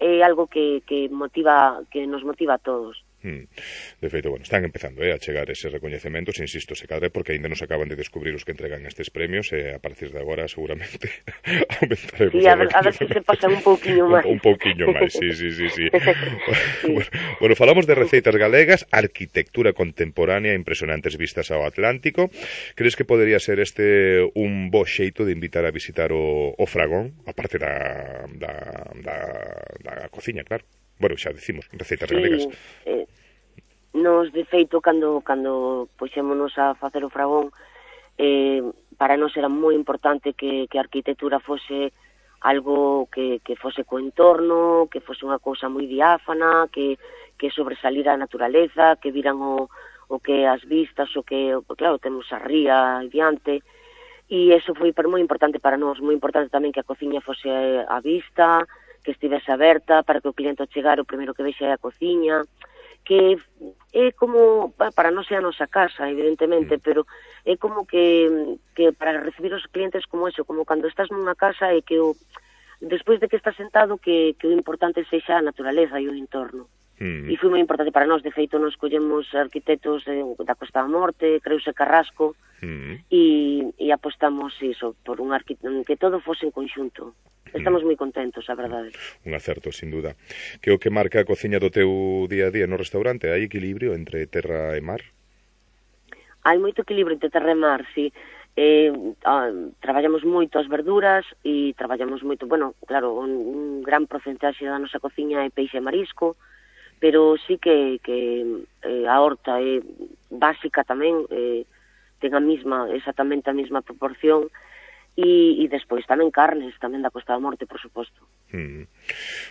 [SPEAKER 14] é algo que, que motiva que nos motiva a todos.
[SPEAKER 2] Hmm. De feito, bueno, están empezando eh, a chegar eses recoñecementos, insisto, se cadre porque ainda nos acaban de descubrir os que entregan estes premios e a partir de agora seguramente aumentaremos.
[SPEAKER 14] Sí, a ver, a ver se se pasan un pouquiño máis.
[SPEAKER 2] Un, un pouquiño máis, sí, sí, sí, sí. Sí. Bueno, bueno, falamos de receitas galegas, arquitectura contemporánea, impresionantes vistas ao Atlántico. Crees que podería ser este un bo xeito de invitar a visitar o, o Fragón, aparte da, da, da, da cociña, claro? Bueno, xa decimos, receitas
[SPEAKER 14] sí,
[SPEAKER 2] galegas.
[SPEAKER 14] Eh, nos, de feito, cando, cando puxémonos a facer o Fragón, eh, para nós era moi importante que, que a arquitectura fose algo que, que fose co entorno, que fose unha cousa moi diáfana, que, que sobresalira a naturaleza, que viran o, o que as vistas, o que, claro, temos a ría diante, e eso foi moi importante para nós, moi importante tamén que a cociña fose a vista, que estivese aberta para que o cliente ao chegar o primeiro que vexe é a cociña, que é como, para non ser a nosa casa, evidentemente, pero é como que, que para recibir os clientes como eso, como cando estás nunha casa e que o, despois de que estás sentado que, que o importante sexa a naturaleza e o entorno. Mm. E foi moi importante para nós, de feito nos collemos arquitectos eh, da Costa da Morte, Creuse Carrasco, mm. e, e apostamos iso, por un arquitecto, que todo fose en conxunto. Estamos moi contentos, a verdade.
[SPEAKER 2] Un acerto, sin duda. Que o que marca a cociña do teu día a día no restaurante? Hai equilibrio entre terra e mar?
[SPEAKER 14] Hai moito equilibrio entre terra e mar, sí. Eh, ah, traballamos moito as verduras e traballamos moito, bueno, claro, un, un gran porcentaxe da nosa cociña é peixe e marisco, pero sí que, que eh, a horta é básica tamén, eh, ten a mesma, exactamente a mesma proporción, e, e despois tamén carnes, tamén da Costa da Morte, por suposto.
[SPEAKER 2] Mm.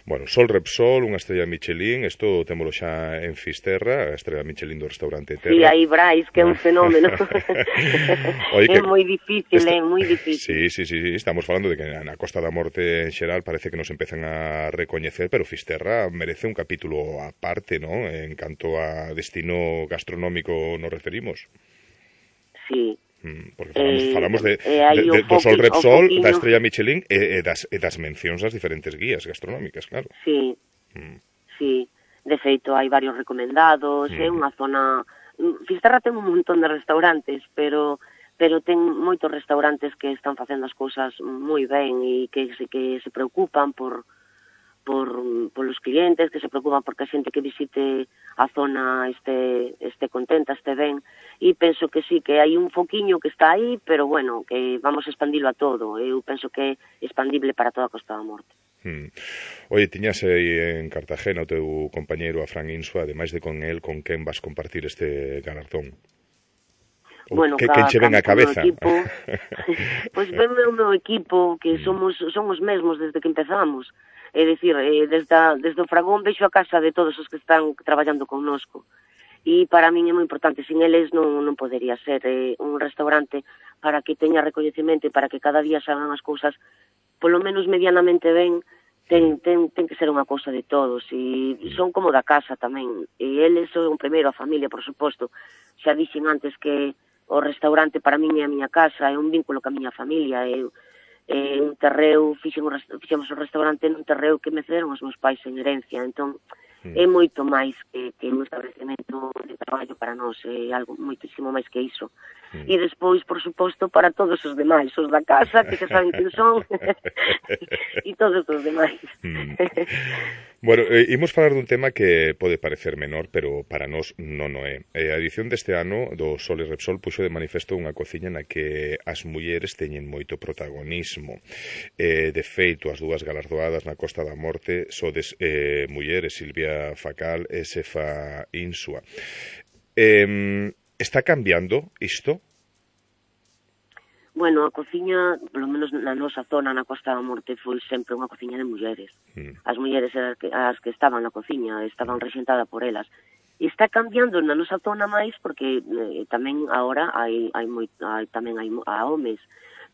[SPEAKER 2] Bueno, Sol Repsol, unha estrella Michelin, isto témolo xa en Fisterra, a estrella Michelin do restaurante Terra.
[SPEAKER 14] Sí, aí Brais, que é un fenómeno.
[SPEAKER 2] Oye,
[SPEAKER 14] é
[SPEAKER 2] que
[SPEAKER 14] moi difícil,
[SPEAKER 2] esta...
[SPEAKER 14] é moi difícil.
[SPEAKER 2] Sí, sí, sí, sí, estamos falando de que na Costa da Morte en xeral parece que nos empezan a recoñecer, pero Fisterra merece un capítulo aparte, ¿no? En canto a destino gastronómico nos referimos.
[SPEAKER 14] Sí.
[SPEAKER 2] Porque falamos,
[SPEAKER 14] eh,
[SPEAKER 2] falamos de,
[SPEAKER 14] eh,
[SPEAKER 2] de, de,
[SPEAKER 14] foqui,
[SPEAKER 2] do Sol Repsol,
[SPEAKER 14] foquiño...
[SPEAKER 2] da estrella Michelin e, e, das, e das mencións das diferentes guías gastronómicas, claro.
[SPEAKER 14] Sí,
[SPEAKER 2] mm.
[SPEAKER 14] sí. De feito, hai varios recomendados, mm. é unha zona... Fisterra ten un montón de restaurantes, pero pero ten moitos restaurantes que están facendo as cousas moi ben e que se, que se preocupan por... por polos clientes, que se preocupan porque a xente que visite a zona este este contenta, este ben, e penso que sí, que hai un foquiño que está aí, pero bueno, que vamos a expandilo a todo. Eu penso que é expandible para toda a Costa da Morte.
[SPEAKER 2] Hmm. Oye, tiñas aí en Cartagena o teu compañeiro a Fran Insua, ademais de con el, con quen vas compartir este galardón?
[SPEAKER 14] Bueno,
[SPEAKER 2] que,
[SPEAKER 14] ca,
[SPEAKER 2] quen che ven a cabeza?
[SPEAKER 14] Pois pues venme o meu equipo, que somos son os mesmos desde que empezamos. É dicir, eh, desde, a, desde o Fragón vexo a casa de todos os que están traballando connosco. E para min é moi importante, sin eles non, non podería ser eh, un restaurante para que teña recoñecemento e para que cada día salgan as cousas polo menos medianamente ben, ten, ten, ten que ser unha cousa de todos, e son como da casa tamén, e eles son o primeiro, a familia, por suposto. Xa dixen antes que o restaurante para min é a miña casa, é un vínculo ca miña familia, é, é un terreo, fixemos, fixemos o restaurante nun terreo que me cederon os meus pais en herencia, entón é moito máis que, que un establecemento de traballo para nós, é algo moitísimo máis que iso. Mm. E despois, por suposto, para todos os demais, os da casa, que xa saben quen son, e todos os demais.
[SPEAKER 2] Mm. Bueno, eh, imos falar dun tema que pode parecer menor, pero para nós non o é. Eh, a edición deste ano do Sol e Repsol puxo de manifesto unha cociña na que as mulleres teñen moito protagonismo. Eh, de feito, as dúas galardoadas na Costa da Morte sodes eh, mulleres, Silvia Facal e Sefa Insua. Eh, está cambiando isto?
[SPEAKER 14] Bueno, a cociña, polo menos na nosa zona, na Costa da Morte, foi sempre unha cociña de mulleres. Mm. As mulleres eran as que, as que estaban na cociña, estaban rexentadas por elas. E está cambiando na nosa zona máis porque eh, tamén agora hai, hai, moi, hai tamén hai a homes,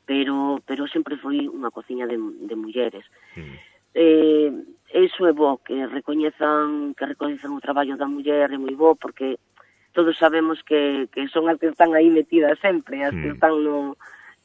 [SPEAKER 14] pero pero sempre foi unha cociña de, de mulleres. Mm. Eh, eso é bo, que recoñezan que recoñezan o traballo da muller, é moi bo, porque todos sabemos que, que son as que están aí metidas sempre, as mm. que están no...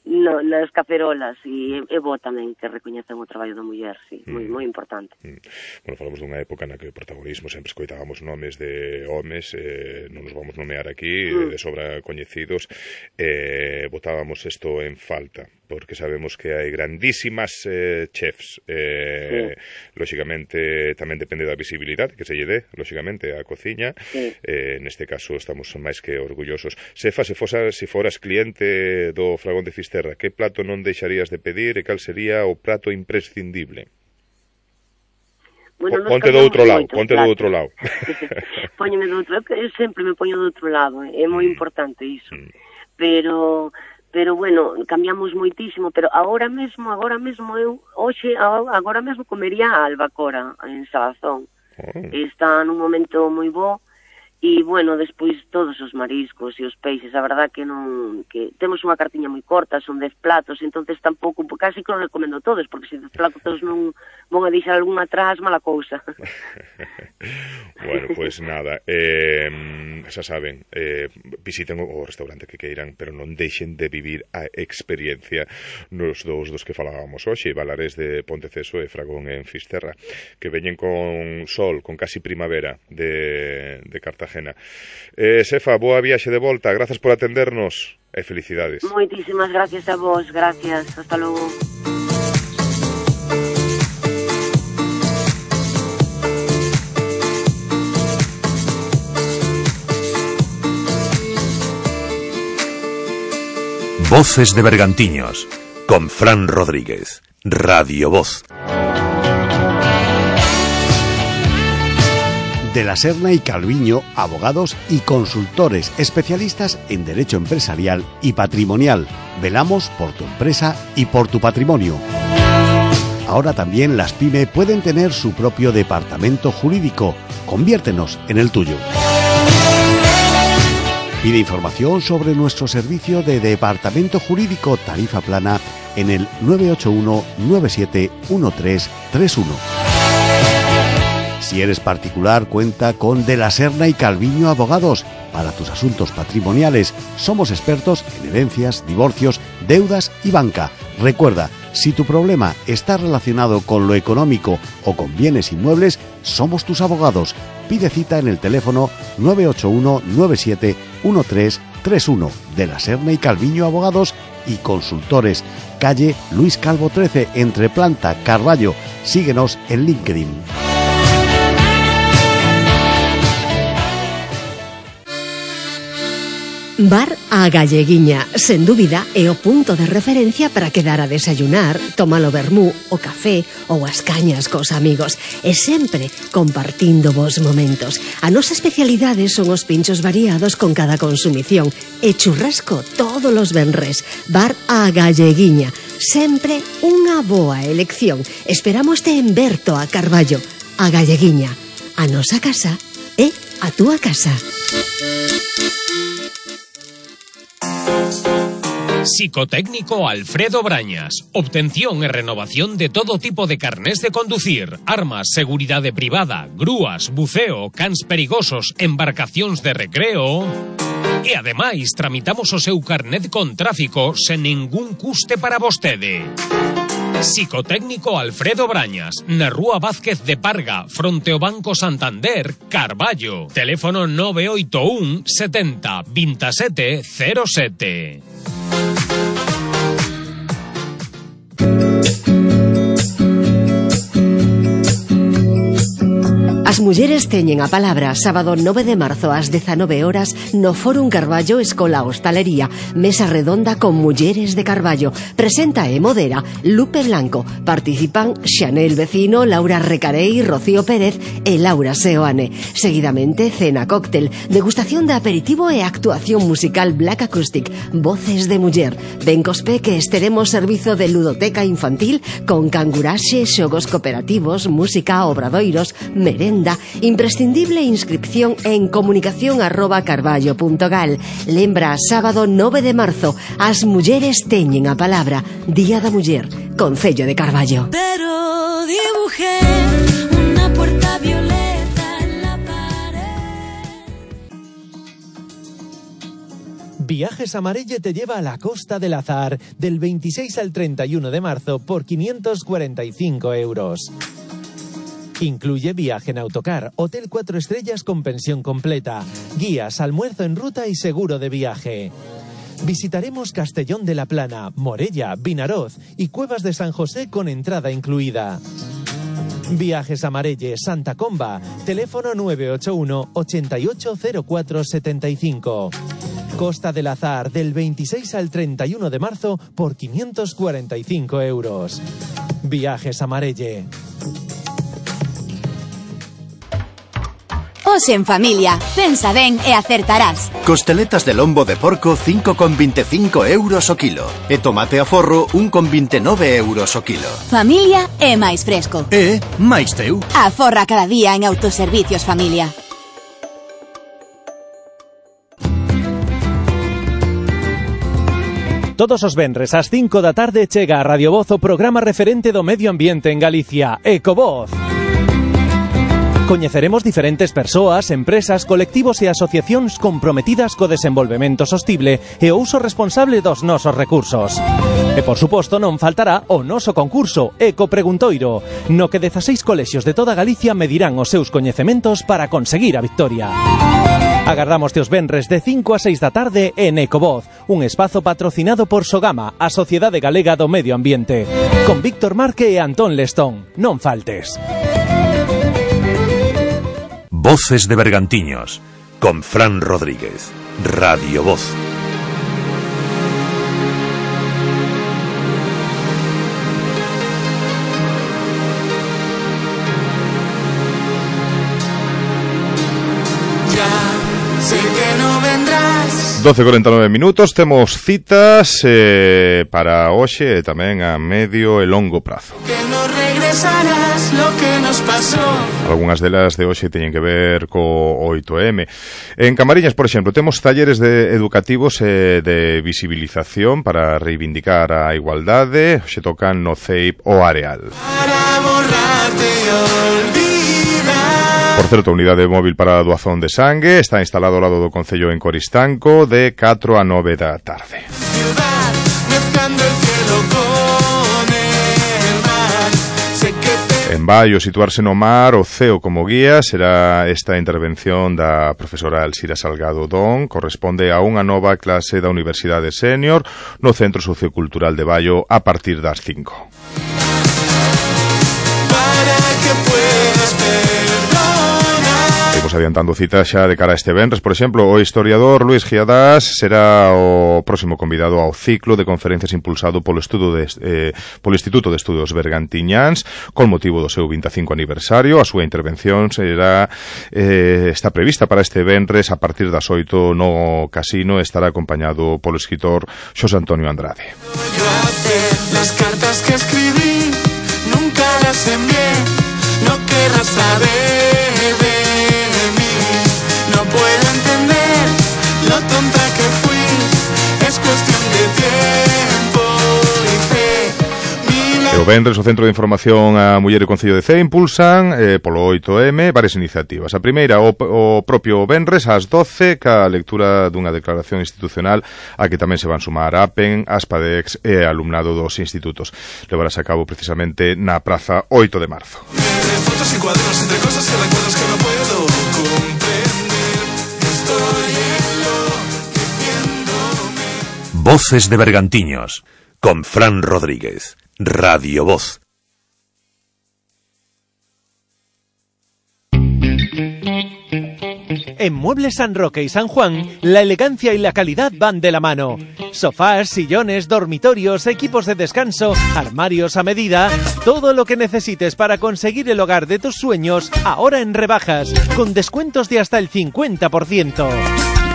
[SPEAKER 14] No, nas cacerolas, e é bo tamén que recoñezan o traballo da muller, sí, moi, moi importante.
[SPEAKER 2] Mm. Bueno, falamos dunha época na que o protagonismo sempre escoitábamos nomes de homes, eh, non nos vamos nomear aquí, mm. de sobra coñecidos, eh, botábamos isto en falta, porque sabemos que hai grandísimas eh, chefs, eh, sí. Lóxicamente tamén depende da visibilidade que se lle dé, lóxicamente, a cociña, sí. eh, neste caso estamos máis que orgullosos. Sefa, se, fosa, se foras cliente do Fragón de Fisterra, que plato non deixarías de pedir e cal sería o prato imprescindible?
[SPEAKER 14] Bueno,
[SPEAKER 2] ponte do outro lado, ponte do outro lado.
[SPEAKER 14] Póñeme do outro lado, eu sempre me poño do outro lado, é moi mm. importante iso. Mm. Pero pero bueno, cambiamos moitísimo, pero agora mesmo, agora mesmo eu hoxe agora mesmo comería a albacora en Salazón. Oh. Está nun momento moi bo. E, bueno, despois todos os mariscos e os peixes, a verdad que non... que temos unha cartiña moi corta, son dez platos, entonces tampouco, casi que non recomendo todos, porque se dez platos non vão a deixar algún atrás, mala cousa.
[SPEAKER 2] Bueno, pois pues nada, eh, xa saben, eh, visiten o restaurante que queiran, pero non deixen de vivir a experiencia nos dous dos que falábamos hoxe, Valarés de Ponteceso e Fragón en Fisterra, que veñen con sol, con casi primavera de, de Cartagena. Eh, Sefa, boa viaxe de volta, grazas por atendernos e felicidades.
[SPEAKER 14] Moitísimas gracias a vos, gracias, hasta logo.
[SPEAKER 1] Voces de Bergantiños, con Fran Rodríguez, Radio Voz.
[SPEAKER 15] De la Serna y Calviño, abogados y consultores especialistas en derecho empresarial y patrimonial. Velamos por tu empresa y por tu patrimonio. Ahora también las pyme pueden tener su propio departamento jurídico. Conviértenos en el tuyo. Pide información sobre nuestro servicio de departamento jurídico tarifa plana en el nueve ocho uno nueve siete uno tres tres uno. Si eres particular, cuenta con De la Serna y Calviño Abogados. Para tus asuntos patrimoniales, somos expertos en herencias, divorcios, deudas y banca. Recuerda, si tu problema está relacionado con lo económico o con bienes inmuebles, somos tus abogados. Pide cita en el teléfono nueve ocho uno nueve siete uno tres tres uno. De la Serna y Calviño Abogados y Consultores. Calle Luis Calvo trece, entre Planta, Carballo. Síguenos en LinkedIn.
[SPEAKER 16] Bar A Galleguiña, sen dúbida, é o punto de referencia para quedar a desayunar, tomar o vermú, o café ou as cañas cos amigos, e sempre compartindo vos momentos. A nosa especialidade son os pinchos variados con cada consumición e churrasco todos os venres. Bar A Galleguiña, sempre unha boa elección. Esperámoste en Berto a Carballo. A Galleguiña, a nosa casa é a túa casa.
[SPEAKER 9] Psicotécnico Alfredo Brañas. Obtención e renovación de todo tipo de carnés de conducir, armas, seguridade privada, grúas, buceo, cans perigosos, embarcacións de recreo. E ademais tramitamos o seu carnet con tráfico sen ningún custe para vostede. Psicotécnico Alfredo Brañas, na Rúa Vázquez de Parga, fronte ao Banco Santander, Carballo. Teléfono nove oito un setenta veintisiete cero sete.
[SPEAKER 16] As mulleres teñen a palabra. Sábado nove de marzo ás dezanove horas no Fórum Carballo Escola Hostalería. Mesa redonda con mulleres de Carballo. Presenta e modera Lupe Blanco. Participan Xanel Vecino, Laura Recarei, Rocío Pérez e Laura Seoane. Seguidamente cena cóctel, degustación de aperitivo e actuación musical Black Acoustic. Voces de muller. Ben cospe que estaremos servizo de ludoteca infantil con canguraxe, xogos cooperativos, música, obradoiros, merenda. Imprescindible inscripción en comunicación arroba carballo punto gal. Lembra, sábado nove de marzo, as mulleres teñen a palabra. Día da Muller, Concello de Carballo.
[SPEAKER 5] Pero dibujé una puerta violeta en la pared.
[SPEAKER 6] Viajes Amarelle te lleva a la Costa del Azar del veintiséis al treinta y uno de marzo por quinientos cuarenta y cinco euros. Incluye viaje en autocar, hotel cuatro estrellas con pensión completa, guías, almuerzo en ruta y seguro de viaje. Visitaremos Castellón de la Plana, Morella, Vinaroz y Cuevas de San José con entrada incluida. Viajes Amarelle, Santa Comba, teléfono nueve ocho uno ochenta y ocho cero cuatro setenta y cinco. Costa del Azar del veintiséis al treinta y uno de marzo por quinientos cuarenta y cinco euros. Viajes Amarelle.
[SPEAKER 7] Hoxe en familia, pensa ben e acertarás.
[SPEAKER 8] Costeletas de lombo de porco cinco con veinticinco euros o kilo. E tomate a forro un con veintinueve euros o kilo.
[SPEAKER 7] Familia é máis fresco.
[SPEAKER 8] E máis teu.
[SPEAKER 7] Aforra cada día en Autoservicios Familia.
[SPEAKER 6] Todos os venres ás cinco da tarde chega a Radio Voz o programa referente do medio ambiente en Galicia, Ecovoz. Coñeceremos diferentes persoas, empresas, colectivos e asociacións comprometidas co desenvolvemento sostible e o uso responsable dos nosos recursos. E, por suposto, non faltará o noso concurso Eco Preguntoiro, no que dezaseis colexios de toda Galicia medirán os seus coñecementos para conseguir a victoria. Agardámoste os venres de cinco a seis da tarde en Ecovoz, un espazo patrocinado por Sogama, a Sociedade Galega do Medio Ambiente, con Víctor Marque e Antón Lestón. Non faltes.
[SPEAKER 1] Voces de Bergantiños, con Fran Rodríguez, Radio Voz.
[SPEAKER 5] Ya sé que no vendrás,
[SPEAKER 2] doce e corenta e nove minutos, temos citas eh, para hoxe e tamén a medio e longo prazo.
[SPEAKER 5] Que no regresarás lo que nos pasó.
[SPEAKER 2] Algúnas delas de hoxe teñen que ver co oito eme. En Camariñas, por exemplo, temos talleres de educativos e de visibilización para reivindicar a igualdade. Hoxe tocan no C E I P o Areal.
[SPEAKER 5] Para borrarte y olvidar.
[SPEAKER 2] Por certo, a unidade móvil para a doazón de sangue está instalado ao lado do Concello en Coristanco de catro a nove da tarde.
[SPEAKER 5] Ciudad, mezclando el cielo con el mar. Sé que te...
[SPEAKER 2] En Baio, situarse no mar, o ceo como guía, será esta intervención da profesora Alcira Salgado Don, corresponde a unha nova clase da Universidade Sénior no Centro Sociocultural de Baio a partir das cinco.
[SPEAKER 5] Para que puedas perdonar.
[SPEAKER 2] Imos adiantando citas xa de cara a este venres. Por exemplo, o historiador Luis Giadás será o próximo convidado ao ciclo de conferencias impulsado polo estudo de, eh, polo Instituto de Estudos Bergantiñáns con motivo do seu vinte e cinco aniversario. A súa intervención será eh, está prevista para este venres a partir das oito no Casino. Estará acompañado polo escritor Xosé Antonio Andrade.
[SPEAKER 5] Yo hacer las cartas que escribí, nunca las envié, no querrás saber de mí. No puedo entender lo tonta que fui, es cuestión de tiempo y fe. Mil...
[SPEAKER 2] E o venres o Centro de Información a Muller e Concello de Cee impulsan eh, polo oito eme varias iniciativas. A primeira, o, o propio venres ás doce, ca lectura dunha declaración institucional a que tamén se van sumar a APEN, Aspadex e alumnado dos institutos. Levarase a cabo precisamente na Praza oito de marzo.
[SPEAKER 5] Fotos y cuadernos entre cosas y recuerdos que no puedo comprender. Estoy enloqueciéndome.
[SPEAKER 1] Voces de Bergantiños, con Fran Rodríguez, Radio Voz.
[SPEAKER 6] En Muebles San Roque y San Juan, la elegancia y la calidad van de la mano. Sofás, sillones, dormitorios, equipos de descanso, armarios a medida, todo lo que necesites para conseguir el hogar de tus sueños, ahora en rebajas, con descuentos de hasta el cincuenta por ciento.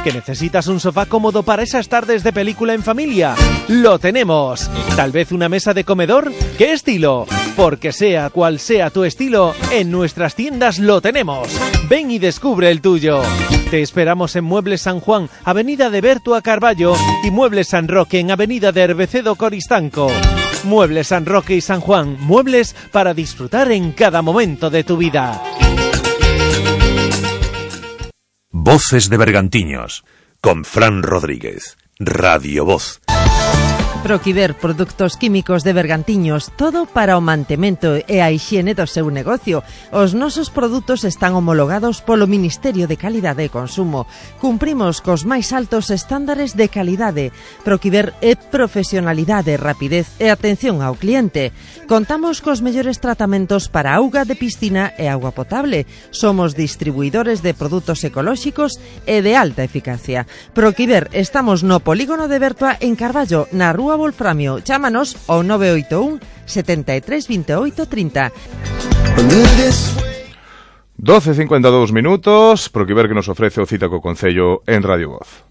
[SPEAKER 6] ¿Que necesitas un sofá cómodo para esas tardes de película en familia? ¡Lo tenemos! ¿Tal vez una mesa de comedor? ¿Qué estilo? Porque sea cual sea tu estilo, en nuestras tiendas lo tenemos. Ven y descubre el tuyo. Te esperamos en Muebles San Juan, Avenida de Berto a Carballo, y Muebles San Roque en Avenida de Herbecedo Coristanco. Muebles San Roque y San Juan, muebles para disfrutar en cada momento de tu vida.
[SPEAKER 1] Voces de Bergantiños, con Fran Rodríguez, Radio Voz.
[SPEAKER 13] Proquiver, produtos químicos de Bergantiños, todo para o mantemento e a hixiene do seu negocio. Os nosos produtos están homologados polo Ministerio de Calidade e Consumo. Cumprimos cos máis altos estándares de calidade. Proquiver é profesionalidade, rapidez e atención ao cliente. Contamos cos mellores tratamentos para auga de piscina e auga potable. Somos distribuidores de produtos ecolóxicos e de alta eficacia. Proquiver, estamos no polígono de Bertoa en Carballo, na rúa Wolframio. Chámanos ao nove oito un, setenta e tres, veintiocho, treinta.
[SPEAKER 2] doce e cincuenta e dous minutos, Proquiver que nos ofrece o cita co Concello en Radio Voz.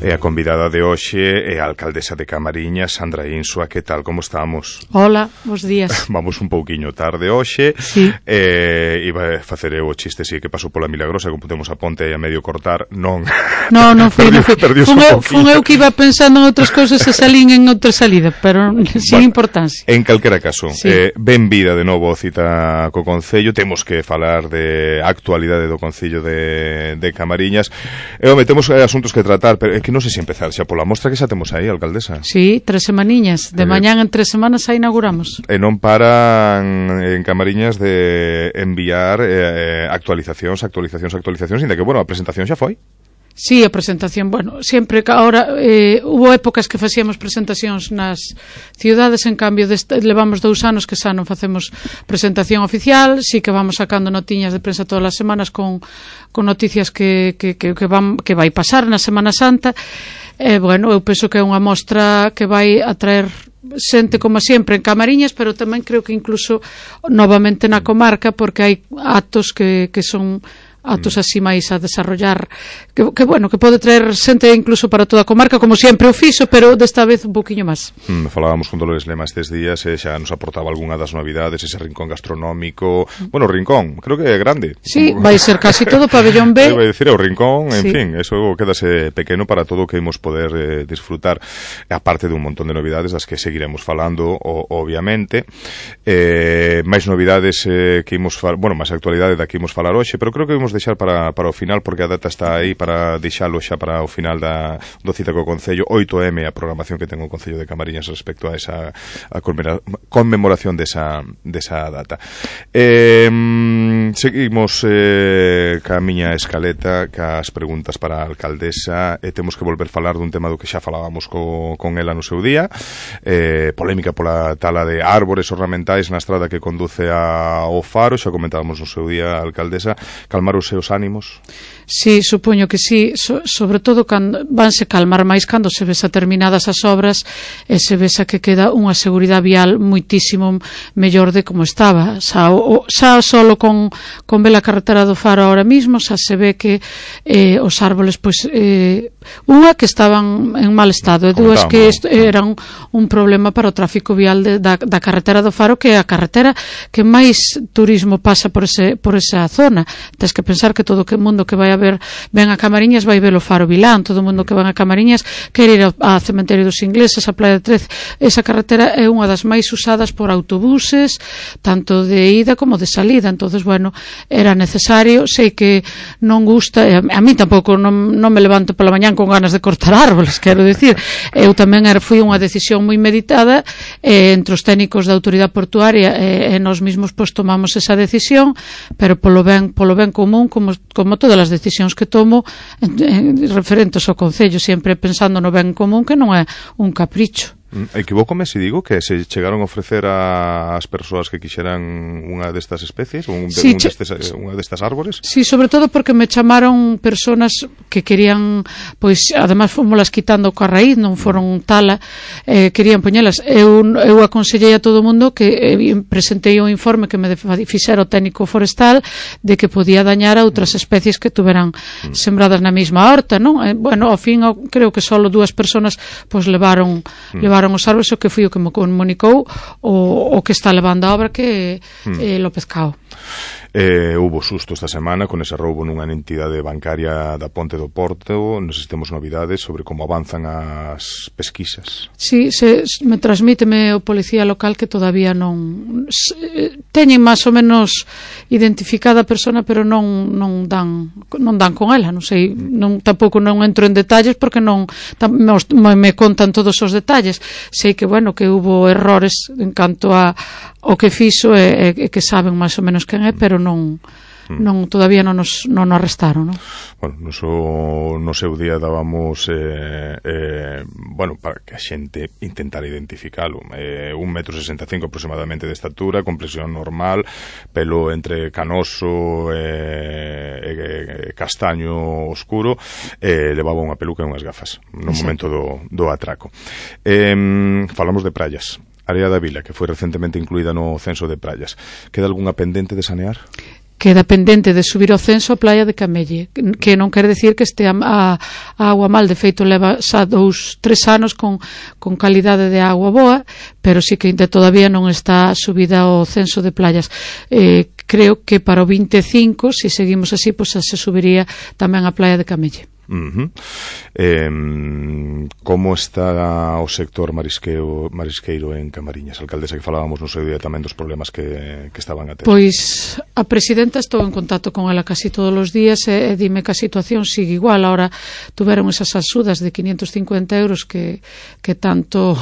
[SPEAKER 2] E a convidada de hoxe é a alcaldesa de Camariñas, Sandra Insua. Que tal, como estamos?
[SPEAKER 11] Hola, bons días.
[SPEAKER 2] Vamos un pouquiño tarde hoxe.
[SPEAKER 11] Sí.
[SPEAKER 2] Eh, iba a facer eu o chiste, si, que pasou pola Milagrosa, que pudemos a ponte a medio cortar. Non.
[SPEAKER 11] No, non foi, non foi. Fun eu, fun eu que iba pensando en outras cousas e salín en outra salida, pero sin bueno, importancia.
[SPEAKER 2] En calquera caso,
[SPEAKER 11] sí.
[SPEAKER 2] eh, ben vida de novo cita co Concello. Temos que falar de actualidade do Concello de, de Camariñas. E, home, temos eh, asuntos que tratar, pero é que non sei se empezar xa pola mostra que xa temos aí, alcaldesa.
[SPEAKER 11] Sí, tres semaniñas. De eh, mañán en tres semanas xa inauguramos.
[SPEAKER 2] E non paran en Camariñas de enviar eh, actualizacións, actualizacións, actualizacións, inda que, bueno, a presentación xa foi.
[SPEAKER 11] Sí, a presentación, bueno, sempre que ahora eh, hubo épocas que facíamos presentacións nas ciudades, en cambio deste, levamos dous anos que xa non facemos presentación oficial, sí que vamos sacando notiñas de prensa todas as semanas con, con noticias que, que, que, que, van, que vai pasar na Semana Santa. E, eh, bueno, eu penso que é unha mostra que vai atraer xente como sempre en Camariñas, pero tamén creo que incluso novamente na comarca, porque hai actos que, que son actos así máis a desarrollar que, que bueno, que pode traer xente incluso para toda a comarca, como sempre o fixo, pero desta vez un poquinho máis.
[SPEAKER 2] Mm, falábamos con Dolores Lema estes días e xa nos aportaba algunha das novidades, ese rincón gastronómico, bueno, rincón, creo que é grande.
[SPEAKER 11] Sí, vai ser casi todo pabellón B.
[SPEAKER 2] Vai dicir, o rincón, en
[SPEAKER 11] sí.
[SPEAKER 2] fin, eso quedase pequeno para todo o que imos poder eh, disfrutar, aparte de un montón de novidades das que seguiremos falando, o, obviamente, eh, máis novidades eh, que imos falar, bueno, máis actualidade da que imos falar hoxe, pero creo que imos deixar para, para o final, porque a data está aí para deixalo xa para o final da, do cita co Concello, oito eme, a programación que ten o Concello de Camariñas respecto a esa a conmemoración desa, desa data. Eh, seguimos eh, ca miña escaleta, cas preguntas para a alcaldesa, e temos que volver falar dun tema do que xa falábamos co, con ela no seu día, eh, polémica pola tala de árbores ornamentais na estrada que conduce ao Faro, xa comentábamos no seu día, a alcaldesa, calmar os seus ánimos?
[SPEAKER 11] Sí, supoño que sí, so, sobre todo cando vanse calmar máis cando se vesa terminadas as obras e se vesa que queda unha seguridade vial moitísimo mellor de como estaba. Xa, o, xa solo con, con ver a carretera do Faro ahora mismo, xa se ve que eh, os árboles, pois, eh, unha que estaban en mal estado e dúas que est, eran un problema para o tráfico vial de, da, da carretera do Faro, que é a carretera que máis turismo pasa por, ese, por esa zona. Tens que pensar que todo o mundo que vai a ver ven a Camariñas vai ver o Faro Vilán, todo o mundo que ven a Camariñas quer ir ao, ao cementerio dos ingleses, a Playa de Trece. Esa carretera é unha das máis usadas por autobuses, tanto de ida como de salida. Entonces, bueno, era necesario. Sei que non gusta, a, a mí tampouco non, non me levanto pola mañán con ganas de cortar árboles, quero dicir. Eu tamén era, fui unha decisión moi meditada eh, entre os técnicos da autoridade portuaria e, e nós mesmos pois tomamos esa decisión, pero polo ben, polo ben común, como, como todas as decisións que tomo en, en, referentes ao Concello, sempre pensando no ben común, que non é un capricho.
[SPEAKER 2] Equivócome se digo que se chegaron a ofrecer ás persoas que quixeran unha destas especies, un,
[SPEAKER 11] sí,
[SPEAKER 2] un destes, unha destas árbores?
[SPEAKER 11] Sí, sobre todo porque me chamaron personas que querían, pois, además fomoslas quitando coa raíz, non foron tala, eh, querían poñelas. Eu, eu aconsellei a todo o mundo que eh, presentei un informe que me fixera o técnico forestal de que podía dañar a outras especies que tuveran mm. sembradas na mesma horta, non? Eh, bueno, ao fin, creo que só dúas personas pois levaron, mm. levaron os árboles, o que foi o que me comunicou o, o que está levando a obra, que
[SPEAKER 2] hmm.
[SPEAKER 11] é eh, López Cao.
[SPEAKER 2] Eh, hubo susto esta semana con ese roubo nunha entidade bancaria da Ponte do Porto. Non sei se temos novidades sobre como avanzan as pesquisas.
[SPEAKER 11] Sí, se, me transmíteme o policía local que todavía non se, teñen máis ou menos identificada a persona, pero non non dan non dan con ela, non sei, non tampouco non entro en detalles porque non tam, me, me contan todos os detalles. Sei que, bueno, que hubo errores en canto a o que fixo e, e que saben máis ou menos quen é, pero non non todavía non nos non nos arrestaron, non?
[SPEAKER 2] Bueno, no seu, no seu día dábamos eh, eh, bueno, para que a xente intentara identificalo, eh, un metro sesenta e cinco aproximadamente de estatura, complexión normal, pelo entre canoso e eh, eh, castaño oscuro, eh, levaba unha peluca e unhas gafas no Exacto. momento do, do atraco. Eh, falamos de praias. Área da Vila, que foi recentemente incluída no censo de praias. Queda algunha pendente de sanear?
[SPEAKER 11] Queda pendente de subir ao censo a Playa de Camelle, que non quere decir que este a, a, a agua mal. De feito, leva xa dous, tres anos con, con calidade de agua boa, pero sí que ainda todavía non está subida ao censo de playas. Eh, creo que para o vinte e cinco, se seguimos así, pues, se subiría tamén a Playa de Camelle.
[SPEAKER 2] Uh-huh. eh, como está o sector marisqueo, marisqueiro en Camariñas? Alcaldesa, que falábamos no seu día tamén dos problemas que, que estaban a ter.
[SPEAKER 11] Pois a presidenta estou en contacto con ela casi todos os días e, e dime que a situación sigue igual. Ahora tuveron esas axudas de quinientos cincuenta euros que, que tanto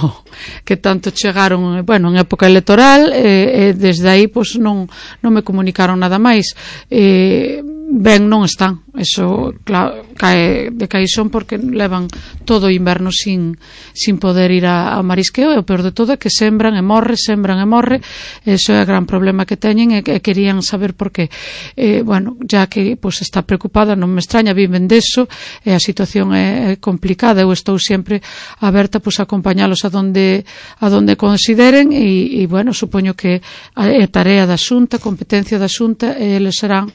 [SPEAKER 11] que tanto chegaron, bueno, en época electoral, e, e desde aí pois non, non me comunicaron nada máis. E ben non están. Eso, claro, cae de caixón porque levan todo o inverno sin, sin poder ir a, ao marisqueo, e o peor de todo é que sembran e morre, sembran e morre. Eso é o gran problema que teñen, e que querían saber por qué. Eh, bueno, ya que pues, está preocupada, non me extraña, viven deso, e a situación é, é complicada. Eu estou sempre aberta pues, a acompañalos a donde, a donde consideren, e, e bueno, supoño que é tarea da Xunta, competencia da Xunta, e eles serán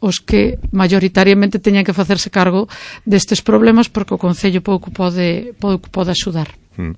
[SPEAKER 11] os que mayoritariamente teñan que facerse cargo destes problemas, porque o Concello pouco pode, pouco pode axudar.
[SPEAKER 2] Mm.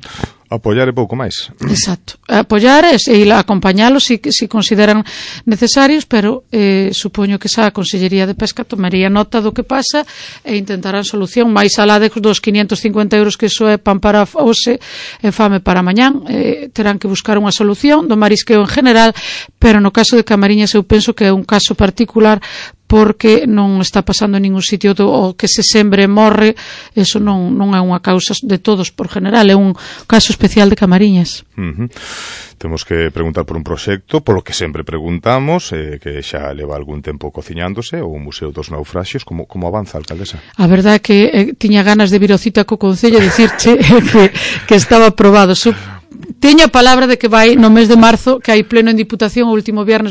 [SPEAKER 2] Apoiar é pouco máis.
[SPEAKER 11] Exacto. Apoiar e, e acompañalos si, si consideran necesarios, pero eh, supoño que xa a Consellería de Pesca tomaría nota do que pasa e intentarán solución máis alá de dos quinientos cincuenta euros que iso é pan para hoxe e fame para mañán. Eh, terán que buscar unha solución do marisqueo en general, pero no caso de Camariñas eu penso que é un caso particular, porque non está pasando en ningún sitio do, o que se sembre morre. Eso non, non é unha causa de todos por general, é un caso especial de Camariñas.
[SPEAKER 2] Uh-huh. Temos que preguntar por un proxecto, polo que sempre preguntamos, eh, que xa leva algún tempo cociñándose, o Museo dos Naufraxios. Como, como avanza, alcaldesa?
[SPEAKER 11] A verdade é que eh, tiña ganas de vir ao cita co Concello e dicirche que, que estaba aprobado. So, teña a palabra de que vai no mes de marzo, que hai pleno en Diputación o último viernes